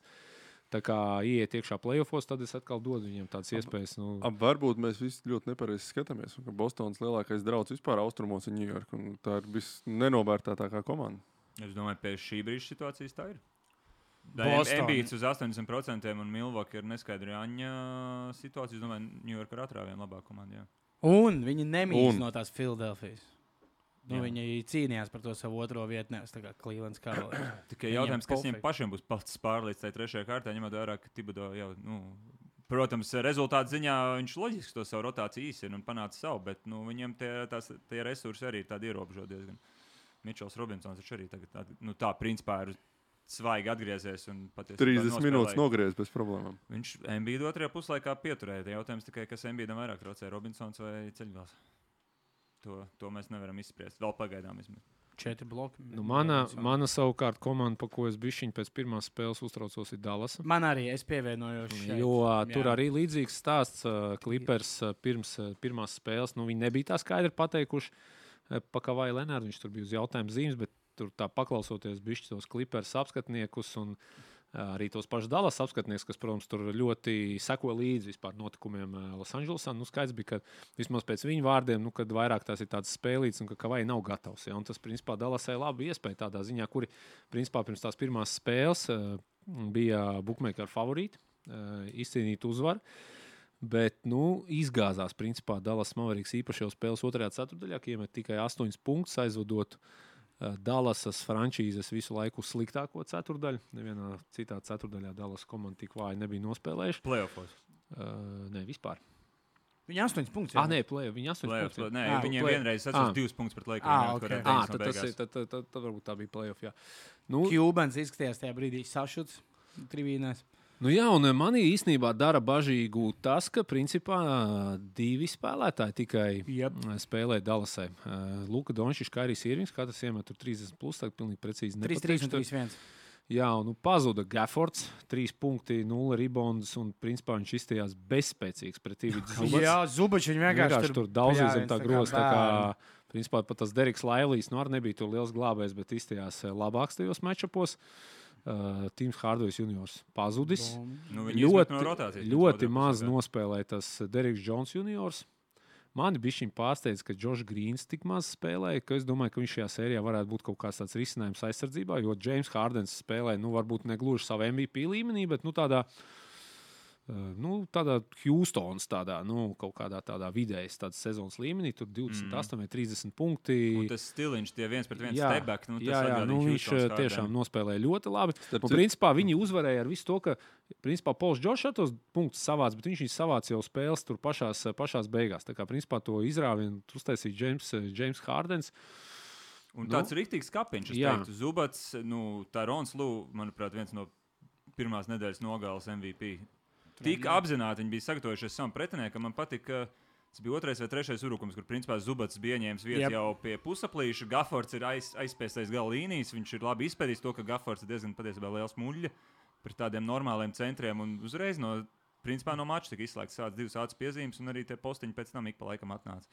tā kā iet iekšā playoffos, tad es atkal dodu viņiem tādas iespējas. Nu... Ab, varbūt mēs visi ļoti nepareizi skatāmies, un ka Bostonas lielākais drauds vispār austrumos ir New York, un tā ir visnenovērtētākā komanda. Es domāju, pēc šī brīža situācijas tā ir. Embiids uz astoņdesmit procentiem un Milvoka ir neskaidra Aņa situācija. Es domāju, New York ar atrāvienu labāk komandu. Jā. Un viņi nemīl un. no tās Philadelphijas. Nu, viņi cīnījās par to savu otro vietu, nevis tā kā Clevelands Cavaliers. Tikai jautājums, kas viņiem pašiem būs pats pārlīdz tajā trešajā kārtā, ņemot vērā, ka Thibodeau jau, nu, protams, rezultātu ziņā viņš loģiski to savu rotāciju īsina un panāca savu, bet, nu, viņiem tie, tās, tie resursi arī ir tādi ierobežoti diezgan. Mitchells Robinsons viņš arī tagad, tā, nu, tā principā ir svaigi atgriezies un patiesībā trīsdesmit minūtes nogriez bez problēmām. Viņš Embiidu otrajā puslaikā pieturēja. Jautājums tikai, kas Embiidam vairāk traucēja, Robinsons vai Ceļgals. To, to mēs nevaram izspriest. Vēl pagaidām izmet. Četri bloki. Nu, mana, mana savukārt komanda, pa ko es bišķiņ pēc pirmās spēles uztraucos, ir Dallas. Man arī, es pievienojos šeit. Jo tur jā. Arī līdzīgs stāsts Clippers pirms pirmās spēles. Nu, viņi nebija tā skaidri pateikuši pa Kavai Lenārdu. Viņš tur bija uz jautājumu zīmes, bet tur tā paklausoties bišķi tos Clippers apskatniekus un arī tos pašus Dallas apskatnieks, kas, protams, tur ļoti seko līdzi vispār notikumiem Losandželosā. Nu, skaidrs bija, ka vismaz pēc viņu vārdiem, nu, kad vairāk tās ir tādas spēlītas un ka Kavai nav gatavs. Ja? Un tas, principā, Dallasai labi iespēja tādā ziņā, kuri, principā, pirms tās pirmās spēles bija bookmaker favorīti, izcīnīt uzvaru. Bet, nu, izgāzās, principā, Dallas Mavericks īpaši jau spēles otrajā ceturtdaļā, ka iemet tikai astoņus punktus aizvadot Dallasas frančīzes visu laiku sliktāko ceturdaļu. Nevienā citā ceturdaļā Dallas komanda tik vāji nebija nospēlējuši. Playoffos? Uh, ne, vispār. Viņi astoņas punktus. Ah, nē, play, viņi astoņas punktus. Nē, ah, viņiem play. vienreiz sacīs divus punktus pret Lakers. Ah, okay. ah, tad, tas, tad, tad, tad, tad varbūt tā bija playoff, jā. Nu, Kjūbens izskatījās tajā brīdī sašuts trivīnēs. Nu jā, un manī īstenībā dara bažīgu tas, ka principā divi spēlētāji tikai yep. spēlē Dallasai. Luka Dončičs, Kairijs Irvings, katrs iemet tur trīsdesmit plus, tā pilnīgi precīzi trīs trīs un trīs viens. Jā, un nu, pazuda Gaffords, trīs punkti, nulle ribondas, un principā viņš izstījās bezspēcīgs pret Ividu Zubats. Jā, Zubats viņš vienkārši, vienkārši tur daudz zem tā groza, tā kā, principā pat tas Deriks Laivlijs, nu arī nebija tur liels glābējs, bet izstījās labāks tajos matčapos. Uh, Tīms Hardovs juniors pazudis. Nu, ļoti no rotācijas, ļoti maz nospēlēja tas Deriks Jones juniors. Mani bišķiņ pārsteidz, ka Džošs Grīns tik maz spēlēja, ka es domāju, ka viņš šajā sērijā varētu būt kaut kāds tāds risinājums aizsardzībā, jo James Hardens spēlēja, nu varbūt negluži savu M V P līmenī, bet nu tādā Nu, tādā Houstons, tādā, nu, kaut kādā tādā vidējas tādas sezonas līmenī, tur divdesmit astoņi vai mm. trīsdesmit punkti. Un tas stiliņš, tie viens pret viens jā, stebek, nu, tas jā, jā, nu, viņš tiešām nospēlēja ļoti labi. Starp un, principā, viņi uzvarēja ar visu to, ka, principā, Pols Džošs tos punktus savāc, bet viņš viņus savāc jau spēles tur pašās, pašās beigās. Tā kā, principā, to izrāvienu uztaisīja James, James Hardens. Un tāds nu, riktīgs kapiņš, es teiktu. Zubats, nu, Tyrons Lue, manuprāt, viens no pirmās nedēļas nogales M V P. Tik apzināti viņi bija sagatavojušies savam pretiniekam. Man patīk, ka tas bija otrais vai trešais urukums, kur principā Zubats bija ieņēmis vietu yep. jau pie pusaplīša. Gaffords ir aiz, aizspiestais gala līnijas. Viņš ir labi izpētījis to, ka Gaffords ir diezgan patiesībā liels muļļa pret tādiem normāliem centriem. Un uzreiz no, principā, no mača tika izslēgts tāds divas ātras piezīmes, un arī tie postiņi pēc tam ik pa laikam atnāca.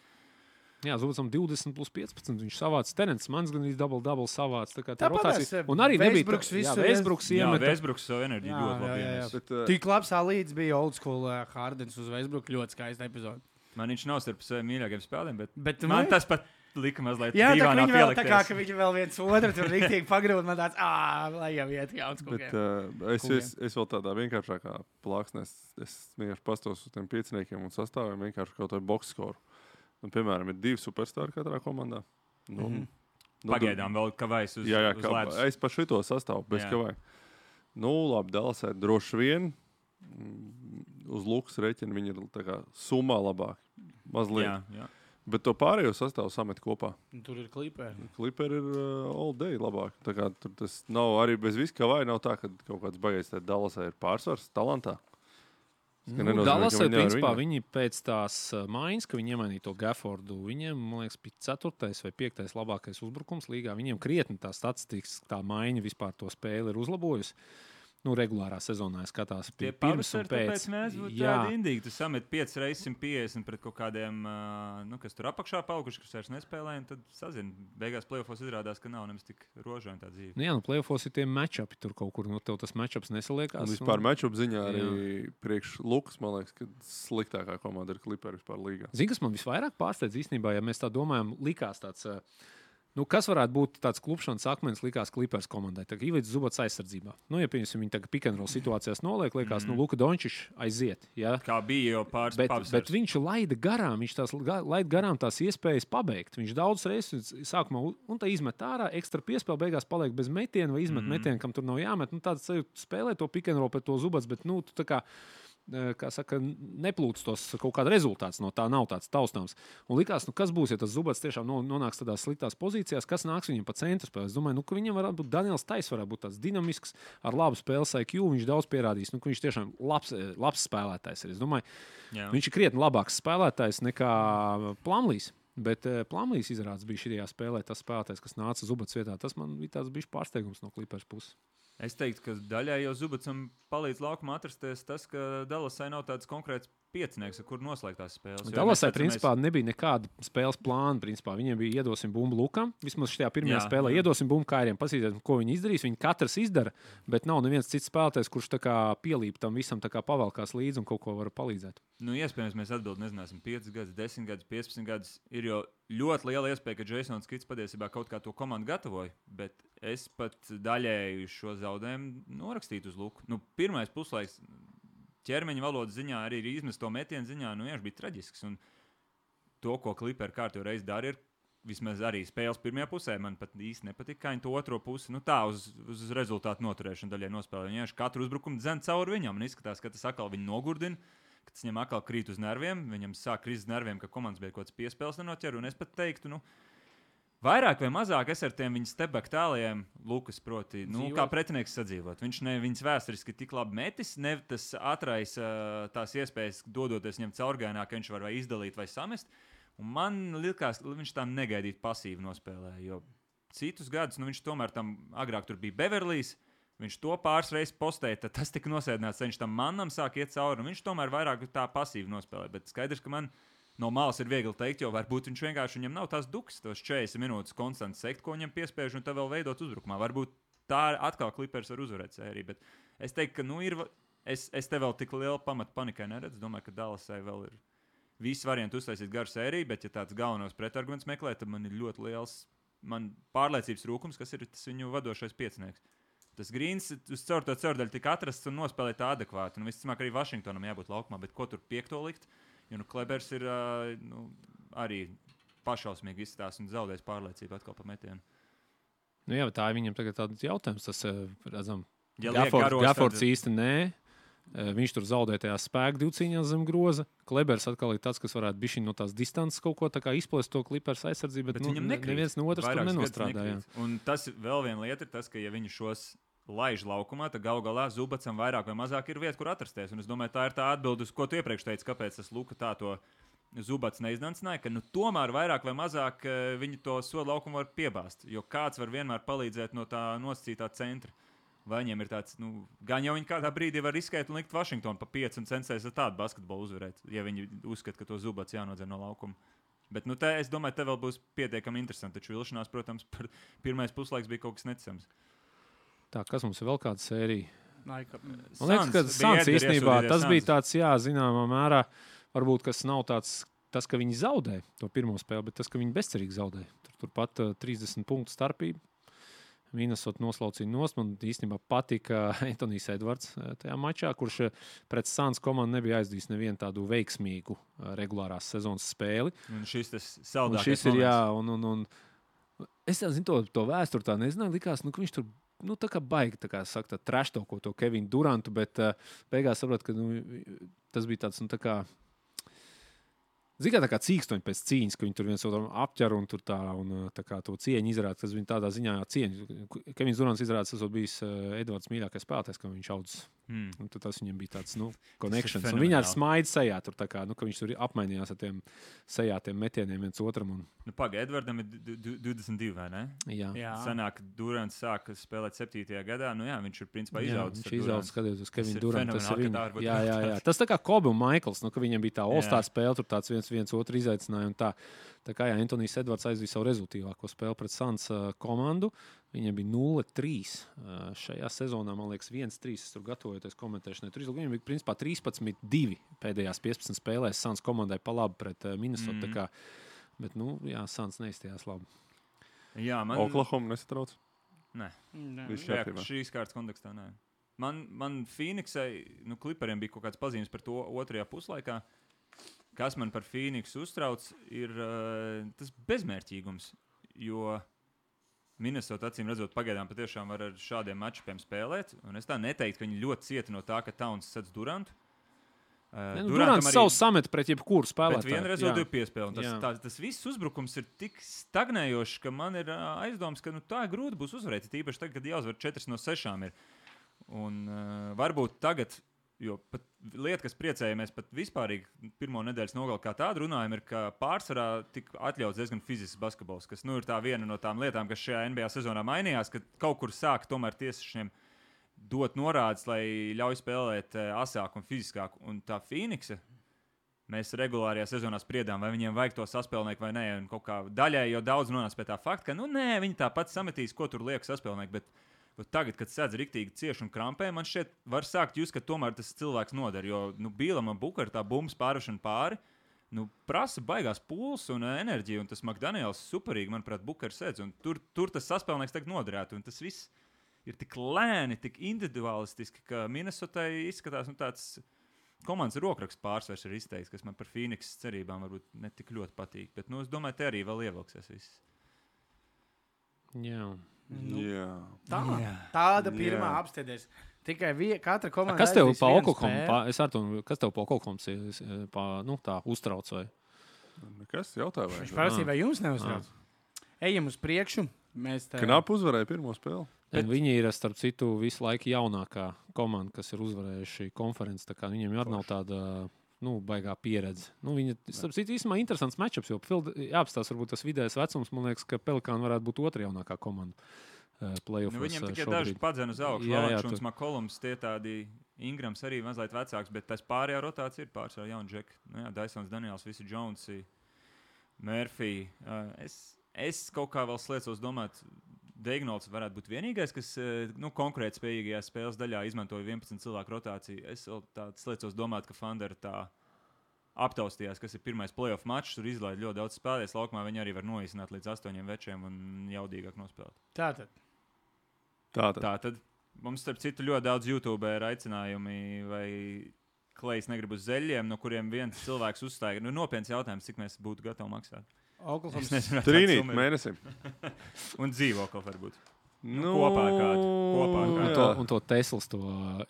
Jā, Zubatsam divdesmit plus piecpadsmit. Viņš savāca Terence Mans, gan arī double-double savāca. Tā kā tā rotācija. Un arī nebija Vēsbruks tā, jā, Vēsbruks iemet. Jā, Vēsbruks savu enerģiju ļoti labi iemet. Bet, uh, Tik labs līdz bija old school uh, Hardens uz Vēsbruku. Ļoti skaista epizode. Man viņš nav starp saviem mīļākajiem spēlēm, bet, bet man tas pat lika mazliet jā, dīvainā pielikties. Jā, tā kā ka viņi vēl viens otru tur riktīgi pagrūda. Man tāds, ā, lai jau iet jauns kūkiem. Bet uh, es, es, es vēl tādā vienkāršākā plāksnē, es, es vienkārši pastos uz tiem pieciniekiem un sastāviem vienkārši kaut vai boxskoru. Un, piemēram, ir divi superstāri katrā komandā. Nu, mm-hmm. nu, Pagaidām vēl kavais uz, jā, jā, uz kā, ledus. Es pa šito sastāvu, bez kavai. Nu, labi, Dallasai droši vien. Uz Lukas reķina viņi ir tā kā summā labāk. Mazliet. Jā, jā. Bet to pārējo sastāvu samet kopā. Tur ir kliperi. Kliperi ir uh, all day labāk. Tā kā tur tas nav arī bez viss kavai. Nav tā, ka kaut kāds baigais tā Dallasai ir pārsvars talantā. Nu, Dallasai, principā, viņi pēc tās maiņas, ka viņi iemainīja to Gaffordu, viņiem, man liekas, bija ceturtais vai piektais labākais uzbrukums līgā. Viņiem krietni tā statistikas, tā maiņa vispār to spēli ir uzlabojusi. Nu, regulārā sezonā skatās pie pirms un pēc. Tāpēc mēs būtu tādi indīgi. Tu samet piecas reizes simt piecdesmit pret kaut kādiem, nu, kas tur apakšā palikuši, kas vairs nespēlē, un tad sazin. Beigās playoffos izrādās, ka nav nemaz tik rožaini tā dzīve. Nu jā, nu playoffos ir tie matchupi tur kaut kur, nu tev tas matchups nesaliekās. Un vispār un... matchup ziņā arī jā. Priekš Lukas, man liekas, ka sliktākā komanda ir Clipperi vispār līgā. Zini, kas man visvairāk pārsteidz īstenībā, ja mēs tā domājam, likās tāds... Nu, kas varētu būt tāds klupšanas akmens, likās Clippers komandai? Tā kā Ivids Zubats aizsardzībā. Nu, ja pieņemsim, viņi tagad pick and roll situācijās noliek, liekas, mm. nu, Luka Dončičs aiziet. Ja? Kā bija jau pāris bet, pavasars. Bet viņš laida garām, viņš tās laida garām tās iespējas pabeigt. Viņš daudz reizes sākumā un tā izmet ārā, ekstra piespēle, beigās paliek bez metiena vai izmet mm. metienu, kam tur nav jāmet. Nu, tāds spēlē to pick and roll pret to Zubats, bet, nu, tu tā kā... kā saka, neplūc tos kaut kāda rezultāts no tā, nav tāds taustāms. Un likās, nu kas būs, ja tas Zubats tiešām nonāks tādās sliktās pozīcijās, kas nāks viņam pa centru spēlē. Es domāju, nu, ka viņam varētu būt Daniels Tais, varētu būt tāds dinamisks, ar labu spēles I Q, viņš daudz pierādīs, nu, ka viņš tiešām labs, labs spēlētājs ir. Es domāju, jā. Viņš ir krietni labāks spēlētājs nekā Plumlees. Bet uh, Plumlees izrādās bija šajā spēlē tas spēlētājs, kas nāca Zubats vietā. Tas man bija tāds bijis pārsteigums no Clippers puses. Es teiktu, ka daļai jau Zubatsam palīdz laukumā atrasties tas, ka Dallasai nav tāds konkrēts piecinieks, ar kur noslēgt tās spēles. Dallasai principā mēs... nebija nekāda spēles plāna. Principā. Viņiem bija iedosim bumbu Lukam. Vismaz šajā pirmajā jā, spēlē jā. Iedosim bumbu Kairiem. Pasīties, ko viņi izdarīs. Viņi katrs izdara, bet nav neviens cits spēlētājs, kurš tā kā pielīp tam visam, tā kā pavelkās līdzi un kaut ko var palīdzēt. Nu, iespējams, mēs atbild, nezināsim, piecas gadus, desmit gadus, piecpadsmit gadus. Ir jau ļoti liela iespēja, ka Jasons Kits patiesībā kaut kā to komandu gatavoja, bet es pat daļēju šo zaudējumu norakstītu uz Luku. Nu, pirmais puslaiks ķermeņa valodas ziņā, arī izmest to metienu ziņā, nu, viņš bija traģisks. Un to, ko Clipperi kārtīgi reiz dara, ir vismaz arī spēles pirmajā pusē. Man pat īsti nepatika, kā viņi to otro pusi, nu tā, uz, uz rezultātu noturēšanu daļai nospēlē. Viņi vienkārši katru uzbrukumu dzen cauri viņam, un izskatās, ka tas atkal viņu nogurdina, ka tas viņam atkal krīt uz nerviem, viņam sāk krist uz nerviem, ka komandas bija kaut kāds piespēles nenoķer, un es pat teiktu, nu, vairāk vai mazāk es ar tiem viņa stepback tālajiem, Lukas, proti, nu, kā pretinieks sadzīvot. Viņš ne viņas vēsturiski tik labi metis, ne tas atraisa tās iespējas, dodoties viņam caurgainā, ka viņš var vai izdalīt vai samest. Un man likās, ka viņš tā negaidīt pasīvi nospēlēja, jo citus gadus, nu viņš tomēr tam agrāk tur bija Beverlijs, viņš to pāris reizes postēja, tad tas tika nosēdināts, viņš tam manam sāk iet cauri, un viņš tomēr vairāk tā pasīvi nospēlēja. Bet skaidrs, ka man no malas ir viegli teikt, jo varbūt viņš vienkārši viņam nav tās duks, tos četrdesmit minūtes konstanti sekt, ko viņam piespiež, un tā vēl veidot uzbrukumā. Varbūt tā atkal Clippers var uzvarēt sēriju, bet es teiktu, ka nu ir, es, es te vēl tik lielu pamatu panikai neredzu, domāju, ka Dallasai vēl ir visi varianti uztaisīt garu sēriju, bet ja tāds galvenos pretarguments meklē, tad man ir ļoti liels man pārliecības trūkums, kas ir tas viņu vadošais piecinieks. Tas Grīns uz caur to caurdaļu tika atrasts un nospēlēja tā adekvāti. Nu, visticamāk, arī Vašingtonam jābūt laukumā, bet ko tur piekto likt? Jo nu, Klebers ir nu, arī pašausmīgi izstās un zaudējis pārliecību atkal pa metienu. Nu jā, bet tā ir viņam tagad tāds jautājums. Tas, redzam, ja Gaffords tad... īsti nē. Viņš tur zaudēja tajā spēku divcīņās zem groza. Klebers atkal ir tāds, kas varētu bišķiņ no tās distances kaut ko tā kā izplēst to Clippers aizsardzību, bet, bet nu, viņam nekrīt. Neviens no otras tur nenostrādāja. Un tas vēl viena lieta ir tas, ka ja viņi šos laiž laukumā, tad gal galā Zubacam vairāk vai mazāk ir vieta, kur atrasties. Un es domāju, tā ir tā atbilde, uz ko tu iepriekš teici, kāpēc tas Luka tā to Zubats neiznancināja, ka nu, tomēr vairāk vai mazāk viņi to sodu laukumu var piebāzt, jo kāds var vienmēr palīdzēt no tā nosacītā centra. Vai viņiem ir tāds, nu, gan jau viņi kādā brīdī var riskēt un likt Vašingtonu pa pieci un censties ar tādu basketbolu uzvarēt, ja viņi uzskata, ka to Zubats jānodzer no laukuma. Bet, nu, te, es domāju, te vēl būs pietiekami interesanti, taču vilšanās, protams, par pirmais puslaiks bija kaut kas neticams. Tā, kas mums ir vēl kāda sērija? Man liekas, ka Sans īstenībā tas bija tāds, jā, zināmā mērā, varbūt, kas nav tāds, tas, ka viņi zaudē to pirmo spēli, bet tas, ka viņi bezcerīgi zaudē. Tur, turpat uh, trīsdesmit punktu starpība. Minnesota noslaucīja nost. Man īstenībā patika Antonijs Edvards tajā mačā, kurš pret Sans komandu nebija aizdījis nevienu tādu veiksmīgu regulārās sezonas spēli. Un šis tas saldākais un šis ir, jā, un, un, un es tā zinu to, to vēsturi tā nezināju, likās, nu, ka viņš tur, nu, tā kā baigi, tā kā saka, tā traštoko to Kevinu Durantu, bet uh, beigās saprot, ka, nu, tas bija tāds, nu, tā kā Zini, kā tā kā cīkstoņi pēc cīņas, ka viņi tur viens otru apķer un tur tā, un tā kā to cieņu izrāda, kas viņi tādā ziņā cieņu. Kevins Durants izrāda, tas bijis uh, Edvards mīļākais spēlētājs, ka viņš audzis. Mm. Un tad tas viņam bija tāds, nu, connections. Un viņi ar smaidu sejā tur tā kā, nu, ka viņš tur apmainījās ar tiem sejātiem metieniem viens otram. Un... Nu, paga, Edvardam ir divdesmit divi, vai ne? Jā. jā. Sanāk, Durants sāka spēlēt septītajā gadā, nu jā, viņš ir principā izaudzis. Viņš izaudzis, skatoties uz Kevinu Durantu. Tas ir viņa. Jā, jā, jā. Tas tā kā Kobe un Maikls, nu, ka viņiem bija tā All-Star spēle, tur tāds viens, viens otru izaicināja. Un tā, tā kā jā, Antonijs Edvards aizvīja savu rezultīvāko spēli pret Sans uh, komandu. Viņam bija nulle trīs uh, šajā sezonā, man liekas, viens trīs. Es tur gatavojoties komentēšanai. Tur viņam bija principā trīspadsmit divi pēdējās piecpadsmit spēlēs Sans komandai pa labi pret uh, Minnesota. Mm. Kā, bet, nu, jā, Sans neizstījās labi. Jā, man... Oklahoma nesatrauc? Nē. Jā, šīs kārtas kontekstā nē. Man, man Phoenixai, nu, Clipperiem bija kaut kāds pazīmes par to otrajā puslaikā. Kas man par Phoenixu uztrauc, ir uh, tas bezmērķīgums, jo Minnesota, acīm redzot, pagaidām patiešām var ar šādiem matčupiem spēlēt, un es tā neteiktu, ka viņi ļoti cieta no tā, ka Towns sedz Durantu. Uh, ne, nu, Durants arī... savu samet pret jebkuru spēlētāju. Pret vienu rezultātu piespēli, un tas, tā, tas viss uzbrukums ir tik stagnējošs, ka man ir uh, aizdoms, ka nu, tā ir grūti būs uzvarēt, tīpaši tagad, kad jāuzvar četras no sešām ir. Un uh, varbūt tagad... Jo pat lieta, kas priecējamies pat vispārīgi pirmo nedēļas nogali kā tādu runājam, ir, ka pārsvarā tika atļauts diezgan fizisks basketbols, kas nu ir tā viena no tām lietām, kas šajā N B A sezonā mainījās, ka kaut kur sāk tomēr tiesišiem dot norādes, lai ļauj spēlēt asāk un fiziskāk. Un tā Phoenixa, mēs regulārajā sezonā spriedām, vai viņiem vajag to saspēlnieku vai nē, un kaut kā daļai jau daudz nonāca pie tā fakta, ka nu nē, viņi tāpat sametīs, ko tur liek saspēlnieku, bet tagad, kad sēdz riktīgi cieši un krampē, man šķiet, var sākt jūs, ka tomēr tas cilvēks noder, jo nu, Bīlam un Bukar tā bumbas pārvešana pāri, nu, prasa baigās pūles un enerģiju, un tas McDaniels superīgi, manuprāt, Bukar sēdz, un tur, tur tas saspēlnieks tagad noderētu, un tas viss ir tik lēni, tik individualistiski, ka Minnesotai izskatās nu, tāds komandas rokraksts pārsvars ir izteikts, kas man par Phoenix cerībām varbūt ne tik ļoti patīk. Bet, nu, es domāju, te arī vēl ievilksies viss. Jā. Nu, jā. Tā, tāda pirmā apstēdies. Tikai vie, katra komanda. Kas tev pa Oklahoma? Es ar to, kas tev pa Oklahoma pa, nu, tā uztrauc vai? Nekas jautāja vai? Viņš prasīja, vai jums neuztrauc? Ejam uz priekšu. Mēs tā... Knap uzvarēja pirmo spēli. Bet... Viņi ir, starp citu, visu laiku jaunākā komanda, kas ir uzvarējuši konferenci. Tā kā viņiem jau nav tāda, nu, baigā pieredze. Nu, viņi, starp citu, īstenībā interesants matchups, jo jāapstās varbūt tas vidējais vecums. Man liekas, ka Pelikāni varētu būt otra jaunākā komanda. Uh, nu, viņiem tikai daži padzen uz augšu. Valačuns, tu... Makolums, tie tādi Ingrams arī mazliet vecāks, bet tas pārējā rotācija ir pārsvarā jauni džeki. Nu, jā, Dysons, Daniels, visi Jonesi, Murphy. Uh, es, es kaut kā vēl sliecos domāt, Deignolds varētu būt vienīgais, kas nu, konkrēti spējīgajā spēles daļā izmantoja vienpadsmit cilvēku rotāciju. Es vēl tāds sliecos domāt, ka Thunder tā aptaustījās, kas ir pirmais playoff mačs, tur izlaid ļoti daudz spēlēs laukumā, viņi arī var noīsināt līdz astoņiem večiem un jaudīgāk nospēlēt. Tātad. Tātad. Tātad. Mums, starp citu, ļoti daudz YouTube ir aicinājumi, vai Klejs negrib uz zeļiem, no kuriem viens cilvēks uzstāja. Nu, nopietns jautājums, cik mēs būtu gatavi maksāt. Trīnīt mēnesim. Un dzīvokli varbūt. Nu, kopā ar kādu. Kopā ar kādu. Un to, un to Teslas, to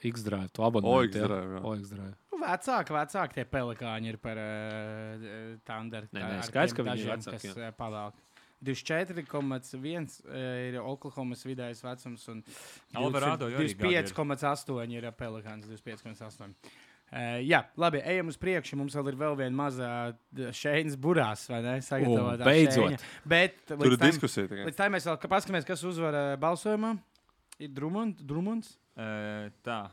X-Drive, to abonementu. O X-Drive, jā. O X-Drive. Nu, vecāki, vecāki tie Pelikāņi ir par uh, Thunder. Nē, nē, skaidrs, ka viņi ir vecāki. Kas pavēlk. divdesmit četri komats viens ir Oklahomas vidējais vecums un divdesmit pieci komats astoņi ir Pelikāns. divdesmit pieci komats astoņi. Uh, jā, labi, ejam uz priekšu. Mums vēl ir vēl viena mazā šeinas burās, vai ne? Sagatavotā uh, beidzot. Bet tur ir diskusija. Tikai. Līdz tā mēs vēl paskatāmies, kas uzvar balsojumā. Ir Drummond, Drummonds? Uh, tā.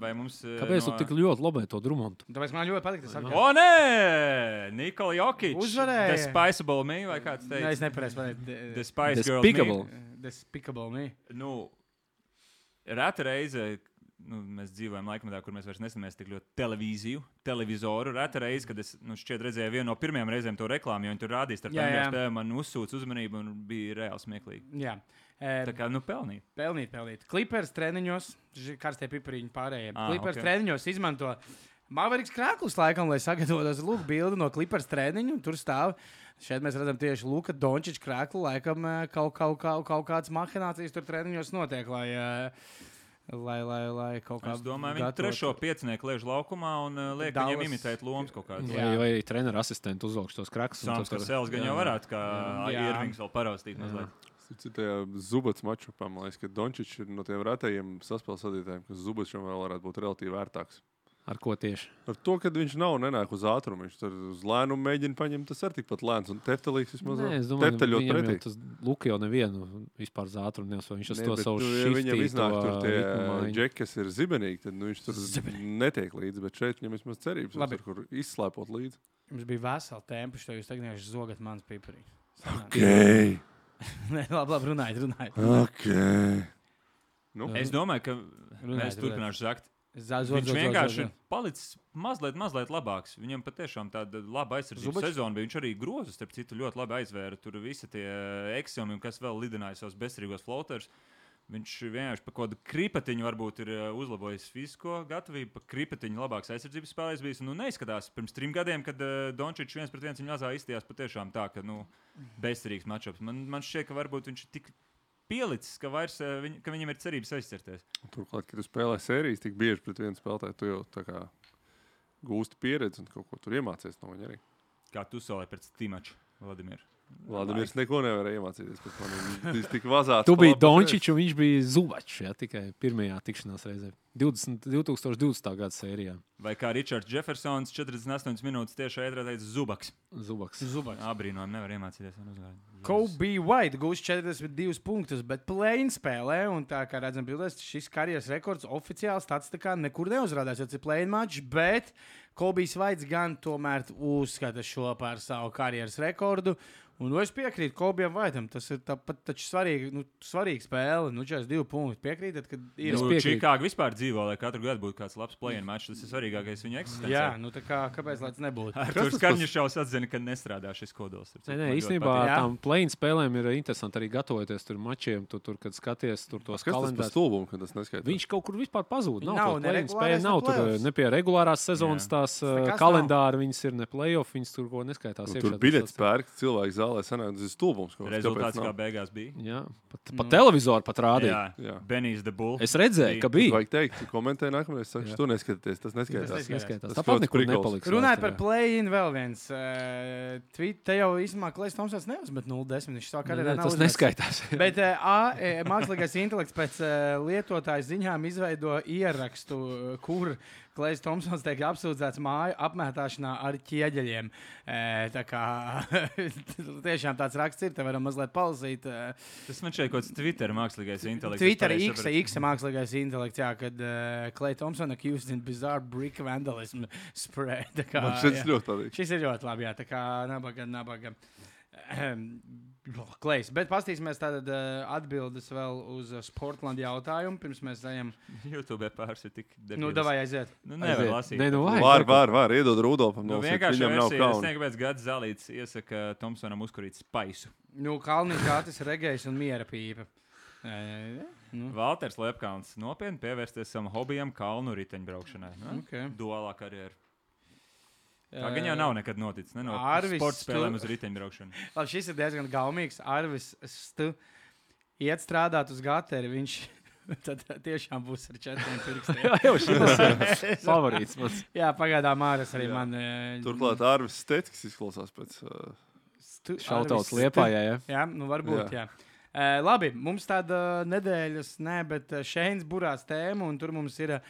Vai mums... Uh, Kāpēc no... tu tik ļoti lobē to Drummondu? Tāpēc man ļoti patīk tas arguments. O, nē! Nikola Jokic. Uzvarēja. Despicable me, vai kāds teica? Nē, es nepareiz pateicu. Despice Girls me. Despicable me. Nu, reta reize... Nu, mēs dzīvojam laikmetā, kur mēs vairs nesamies tik ļoti televīziju, televizoru. Reta reize, kad es nu, šķiet redzēju vienu no pirmajām reizēm to reklāmu, jo viņi tur rādīs ar tādiem spēlēm, man uzsūc uzmanību un bija reāli smieklīgi. Jā. E, Tā kā, nu, pelnīt. Pelnīt, pelnīt. Clippers treniņos, karstie pipariņi pārējiem. Ah, Clippers okay. treniņos izmanto Mavericks krāklus laikam, lai sagatavotos lūk bildi no Clippers treniņu. Tur stāv. Šeit mēs redzam tieši Luka Dončiča krāklu. Laikam kaut, kaut, kaut, kaut kādas mahinācijas tur treniņos notiek, lai... Lai, lai, lai kaut kā es domāju, viņi trešo piecinieku liež laukumā un uh, liek Dallas... viņiem imitēt lomas kaut kādas. Vai, vai arī treneru asistenti uzvalkš tos krakus. Sāms, ka Sēls gan jau varētu, kā Irvings vēl paraustīt mazliet. Citajā Zubats mačupā, man liekas, ka Dončič ir no tiem retajiem saspēles vadītājiem, ka Zubats vēl varētu būt relatīvi vērtāks. Ar ko tieši? Ar to, ka viņš nav nenāk uz ātrumu. Viņš tur uz lēnumu mēģina paņemt, tas ir tikpat lēns. Un Teftelīgs vismaz Tefteļot pretī. Tas Luka jau nevienu vispār uz ātrumu neuzsver. Viņš uz to savu šiftīto. Ja viņam iznāk tur tie džeki, kas ir zibenīgi, tad nu, viņš tur Zibenīgi. Netiek līdzi. Bet šeit viņam vismaz cerības, tur, kur izslēpot līdzi. Jums bija vesela tempa, šo jūs tagad vienkārši zogat mans piparīgs. Ok. Nē, labi, labi, runājiet, runājiet. Ok. Nu? Es domāju, ka runājiet, mēs turpināšu zakt. Zaz, viņš zaz, vienkārši zaz, zaz. palicis mazliet, mazliet labāks. Viņam patiešām tāda laba aizsardzības sezona bija. Viņš arī grozu, starp citu, ļoti labi aizvēra. Tur visi tie eksiomi, kas vēl lidināja savus bezcerīgos floaters. Viņš vienkārši pa kādu kripatiņu varbūt ir uzlabojis fizisko gatavību, pa kripatiņu labāks aizsardzības spēlējs bijis. Nu, neizskatās pirms trim gadiem, kad uh, Dončičs viens pret viens viņu mazā izstījās patiešām tā, ka nu, bezcerīgs matchups. Man, man šķiet, ka varbūt viņš tik pielicis, ka, vairs, viņ, ka viņam ir cerības aizcerties. Turklāt, kad tu spēlē sērijas tik bieži pret vienu spēlētāju, tu jau tā kā gūsti pieredzi un kaut ko tur iemācies no viņa arī. Kā tu solēji pēc Timača, Vladimir? Vladimirs neko nevarēja iemācīties pēc maniem. Viņš tik vazāts. Tu biji Dončičs un viņš bija Zubačs, ja, tikai pirmajā tikšanās reizē. divdesmit, divtūkstoš divdesmitā gada sērijā. Vai kā Ričards Jeffersons četrdesmit astoņas minūtes tieši ētrā teica Zubaks. Zubaks. Zubaks. Abrīnojami nevar iemācīties. Kobe White gūs četrdesmit divus punktus, bet play-in spēlē, un tā kā redzam bildēs, šis karjeras rekords oficiāli statistikā nekur neuzrādās, jo tas ir play-in match, bet Kobe White gan tomēr uzskata šo par savu karjeras rekordu. Un nu, es piekrītu Kobijam Vaitam. Tas ir tāpat taču svarīgi, nu, svarīgi spēle. Nu, četrdesmit divi punkti. Piekrītat, ka ir... Nu, Čikāga vispār dzīvo, lai katru gadu būtu kāds labs play-in match. Tas ir svarīgākais viņa eksistencē. Jā, nu tā kā, kāpēc lai tas nebūtu? Tur Skarņšaus atzina, ka nestrādā šis kodols. Nē, nē, īstenībā tām play-in spēlēm ir interesanti arī gatavoties tur mačiem, tu, tur, kad skaties tur tos kalendārus. Stulbumu, kad tas neskaitās. Viņš kaut kur vispār pazūd. Nav, nav ne spēle, nav tur ne pie regulārās sezonas tās uh, kalendāri, viņas ir ne play-off, viņas tur ko neskaitās. Nu, tur biļets pērk, cilvēki zālē sanāk, tas ir stulbums. Rezultāts kā beigās bija. Jā, pat, pat televizoru pat rādīja. Jā, Benijs the Bull. Es redzēju, ka bija. Vajag teikt, tu komentēji nākamreiz, saka, tu neskaties, tas neskaitās. Tas neskaitās. Tāpat nekur nepaliks. Runājot par play-in vēl viens. Uh, tweet, te jau īstenībā Klejs Tomsons neuzmet nulle desmit. Viņš sāk arī nav tas neskaitās. Bet uh, A, mākslīgais intelekts pēc uh, lietotāju ziņām izveido ierakstu, uh, kur Klejs Tomsons tiek apsūdzēts māju apmētāšanā ar ķieģeļiem. E, tā kā tiešām tāds raksts ir, te varam mazliet palasīt. E, Tas man šeit kaut kāds Twitter mākslīgais intelekts. Twitter X, X mākslīgais intelekts, jā, kad uh, Klej Tomson accused in bizarre brick vandalism spray. Tā kā, man šis ļoti labi. Šis ir ļoti labi, jā, tā kā nabaga, nabaga. Klejs, bet pastīsimies tātad uh, atbildes vēl uz uh, Sportland jautājumu, pirms mēs ejam. YouTube pāris ir tik debils. Nu, davai aiziet. Nu, nevar lasīt. Ne, nu, vai, var, var, var, iedod Rudolfam. Nu, vienkārši versija, es nezinu, kāpēc Gads Zalīts iesaka Tomsonam uzkurīt spaisu. Nu, Kalniņš Gatis, Regejs un Miera pīpa. E, nu. Valters Lepkalns nopietni pievērsties savam hobijam kalnu riteņbraukšanai. Nu? Okay. Duālā karjeru. Tā gan jau nav nekad noticis. Ne? No sporta spēlēm uz riteņbraukšanu. Labi, šis ir diezgan gaumīgs. Arvis Stu iet strādāt uz gateri. Viņš tad tiešām būs ar četriem pirkstiem. Jā, jau šis ir favorīts mans. Jā, pagaidām Māris arī jā. Man... Turklāt Arvis Steckis izklausās pēc... Uh... Šautauts Liepājā, jā. Jā, nu varbūt, jā. jā. Uh, labi, mums tāda nedēļas, ne, bet Šeins burās tēma, un tur mums ir...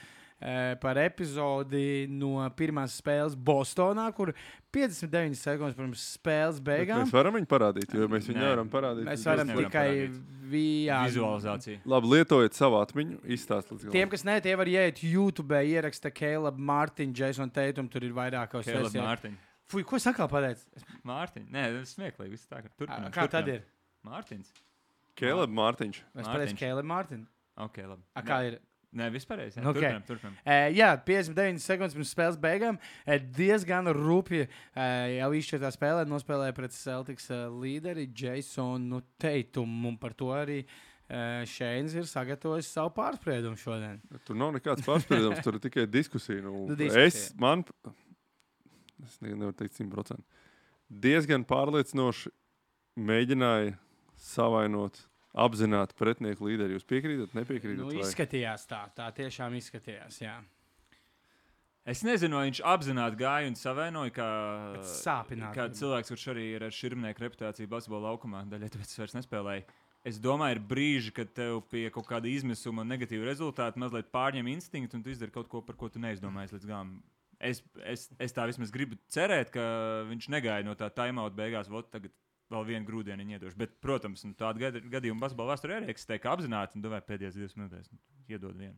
par epizodi no pirmās spēles Bostonā, kur piecdesmit deviņas sekundes pirms spēles beigām. Bet mēs varam viņu parādīt, jo mēs viņu nevaram parādīt. Mēs varam tikai via... vizualizāciju. Labi, lietojiet savu atmiņu, izstāst līdz galam. Tiem, kas ne, tie var ieiet YouTube, ieraksta Caleb Martin, Jason Tatum, tur ir vairākos. Caleb Martin. Fuj, ko sakā pateic? Mārtiņ. Nē, tas smieklīgi, viss tā. Turpinām, kā tad ir? Mārtiņs. Caleb Martiņš. Mēs pateicu Caleb Martin. Ok, labi. A, kā ir? Nē, vispārējais. Jā, okay. turpinām, turpinām. Uh, jā, piecdesmit deviņas sekundes pirms spēles beigām. Uh, diezgan rupji uh, jau izšķirtā spēlē nospēlēja pret Celtics uh, līderi Jasonu Tatumu. Un par to arī uh, Šeins ir sagatavojis savu pārspriedumu šodien. Tur nav nekāds pārspriedums, tur ir tikai diskusija. Nu, nu, diskusija. Es, man, es nevaru teikt simt procenti. Diezgan pārliecinoši mēģināja savainot apzināti pretinieku līderi. Jūs piekrītat, nepiekrītat? Nu, izskatījās tā. Tā tiešām izskatījās, jā. Es nezinu, vai viņš apzināti gāja un savainoja, kā, kā cilvēks, kurš arī ir ar širmnieku reputāciju basketbola laukumā. Daļai tāpēc es vairs nespēlēju. Es domāju, ir brīži, kad tev pie kaut kāda izmisuma un negatīva rezultāta mazliet pārņem instinktu un tu izdari kaut ko, par ko tu neizdomājies līdz galam. Es, es, es tā vismaz gribu cerēt, ka viņš negāja no tā timeout beigās, vot tagad vēl vienu grūdienu iedošu. Bet, protams, nu, tāda gad, gadījuma basketbola vēsturē arī eksistē, ka apzināti un domāju, pēdējās divas minūtēs nu, iedod vienu.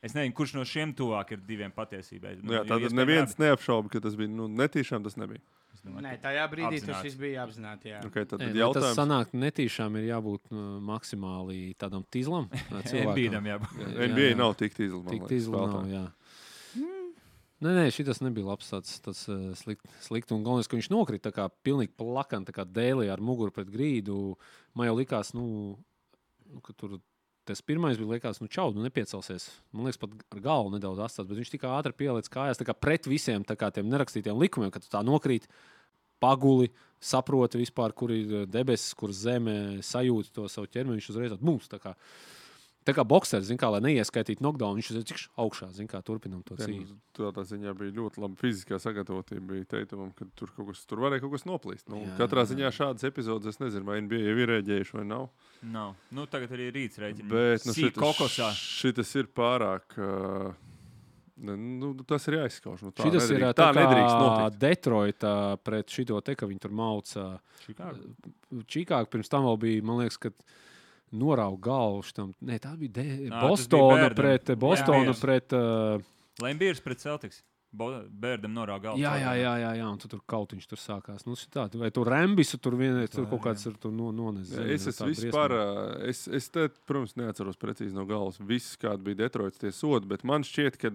Es nezinu, kurš no šiem tuvāk ir diviem patiesībai. Nu, jā, tātad neviens abi... neapšauba, ka tas bija nu, netīšām, tas nebija. Domāju, Nē, tajā brīdī tas viss bija apzināti. Okay, tad, tad Nē, jautājums... Tas sanāk, netīšām ir jābūt uh, maksimāli tādam tīzlam. N B A jābūt. N B A nav tik tīzlam. Tik tīzlam nav, jā. Nē, nē, šitas nebija labs, tāds, tāds uh, slikt, slikt. Un galvenais, ka viņš nokrita tā kā pilnīgi plakan, tā kā dēlī ar muguru pret grīdu. Man jau likās, nu, nu ka tur tas pirmais bija likās, nu, čau, nu, nepiecelsies. Man liekas, pat ar galvu nedaudz atstāts, bet viņš tik ātri pieliec kājās, tā kā pret visiem tā kā tiem nerakstītiem likumiem, ka tu tā nokrīt, paguli, saproti vispār, kur ir debesis, kur zeme sajūta to savu ķermeni, viņš uzreiz atbūs, tā kā. Tā kā boksers, zin kā, lai neieskaitītu knockdown, viņš ir cik augšā, zin kā, turpinam to cīņu. Tādā ziņā bija ļoti laba fiziskā sagatavotība, bija teitumam, ka tur, kaut kas, tur varēja kaut kas noplīst. Nu, jā, katrā jā. Ziņā šādas epizodes, es nezinu, vai N B A jau ir rēģējuši vai nav. Nav. Nu, tagad arī rīts rēķina. Bet, nu, Sīk kokosā. Šitas ir pārāk, uh, nu, tas ir jāizskauž. Nu, tā šitas nedrīkst, ir tā, tā kā Detroita pret šito te, ka viņi tur mauca. Čikāgu pirms tam vēl bija, man liekas, ka norauga galvu šitam. Nē, tā bija de... Nā, Bostona bija pret Bostonu pret uh... Lembiers pret Celtics. Bērdam norāga galvu. Jā, jā, jā, jā, jā, un tu tur kautiņš tur sākās. Nu, tā, vai tu rembisu tur vienreiz, tur kaut kāds tur no, nones. Jā, es esmu vispār, es, es te, protams, neatceros precīzi no galvas viss, kāda bija Detroits tie sodi, bet man šķiet, ka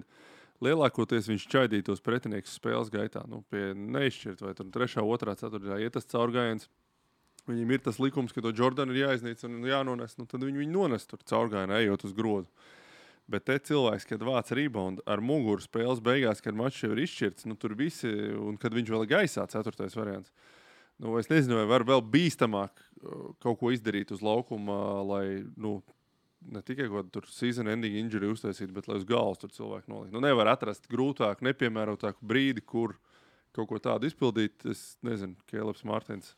lielākoties viņš čaidītos pretiniekus spēles gaitā. Nu, pie neizšķirt, vai tur trešā, otrā, ceturtā iet tas caurgājiens. Viņam ir tas likums, ka to Jordanu ir jāiznīc un jānones, nu tad viņi viņu nones tur caurgājienā, ejot uz grozu. Bet te cilvēks, kad vāc rebound ar muguru spēles beigās, kad mačs jau ir izšķirts, nu tur visi, un kad viņš vēl ir gaisā, ceturtais variants. Nu, es nezinu, vai var vēl bīstamāk kaut ko izdarīt uz laukuma, lai, nu, ne tikai kaut tur season ending injury uztaisīt, bet lai uz galvas tur cilvēku nolikt. Nu, nevar atrast grūtāku, nepiemērotāku brīdi, kur kaut ko tādu izpildīt. Es nezinu, Kēleps Mārtiņš.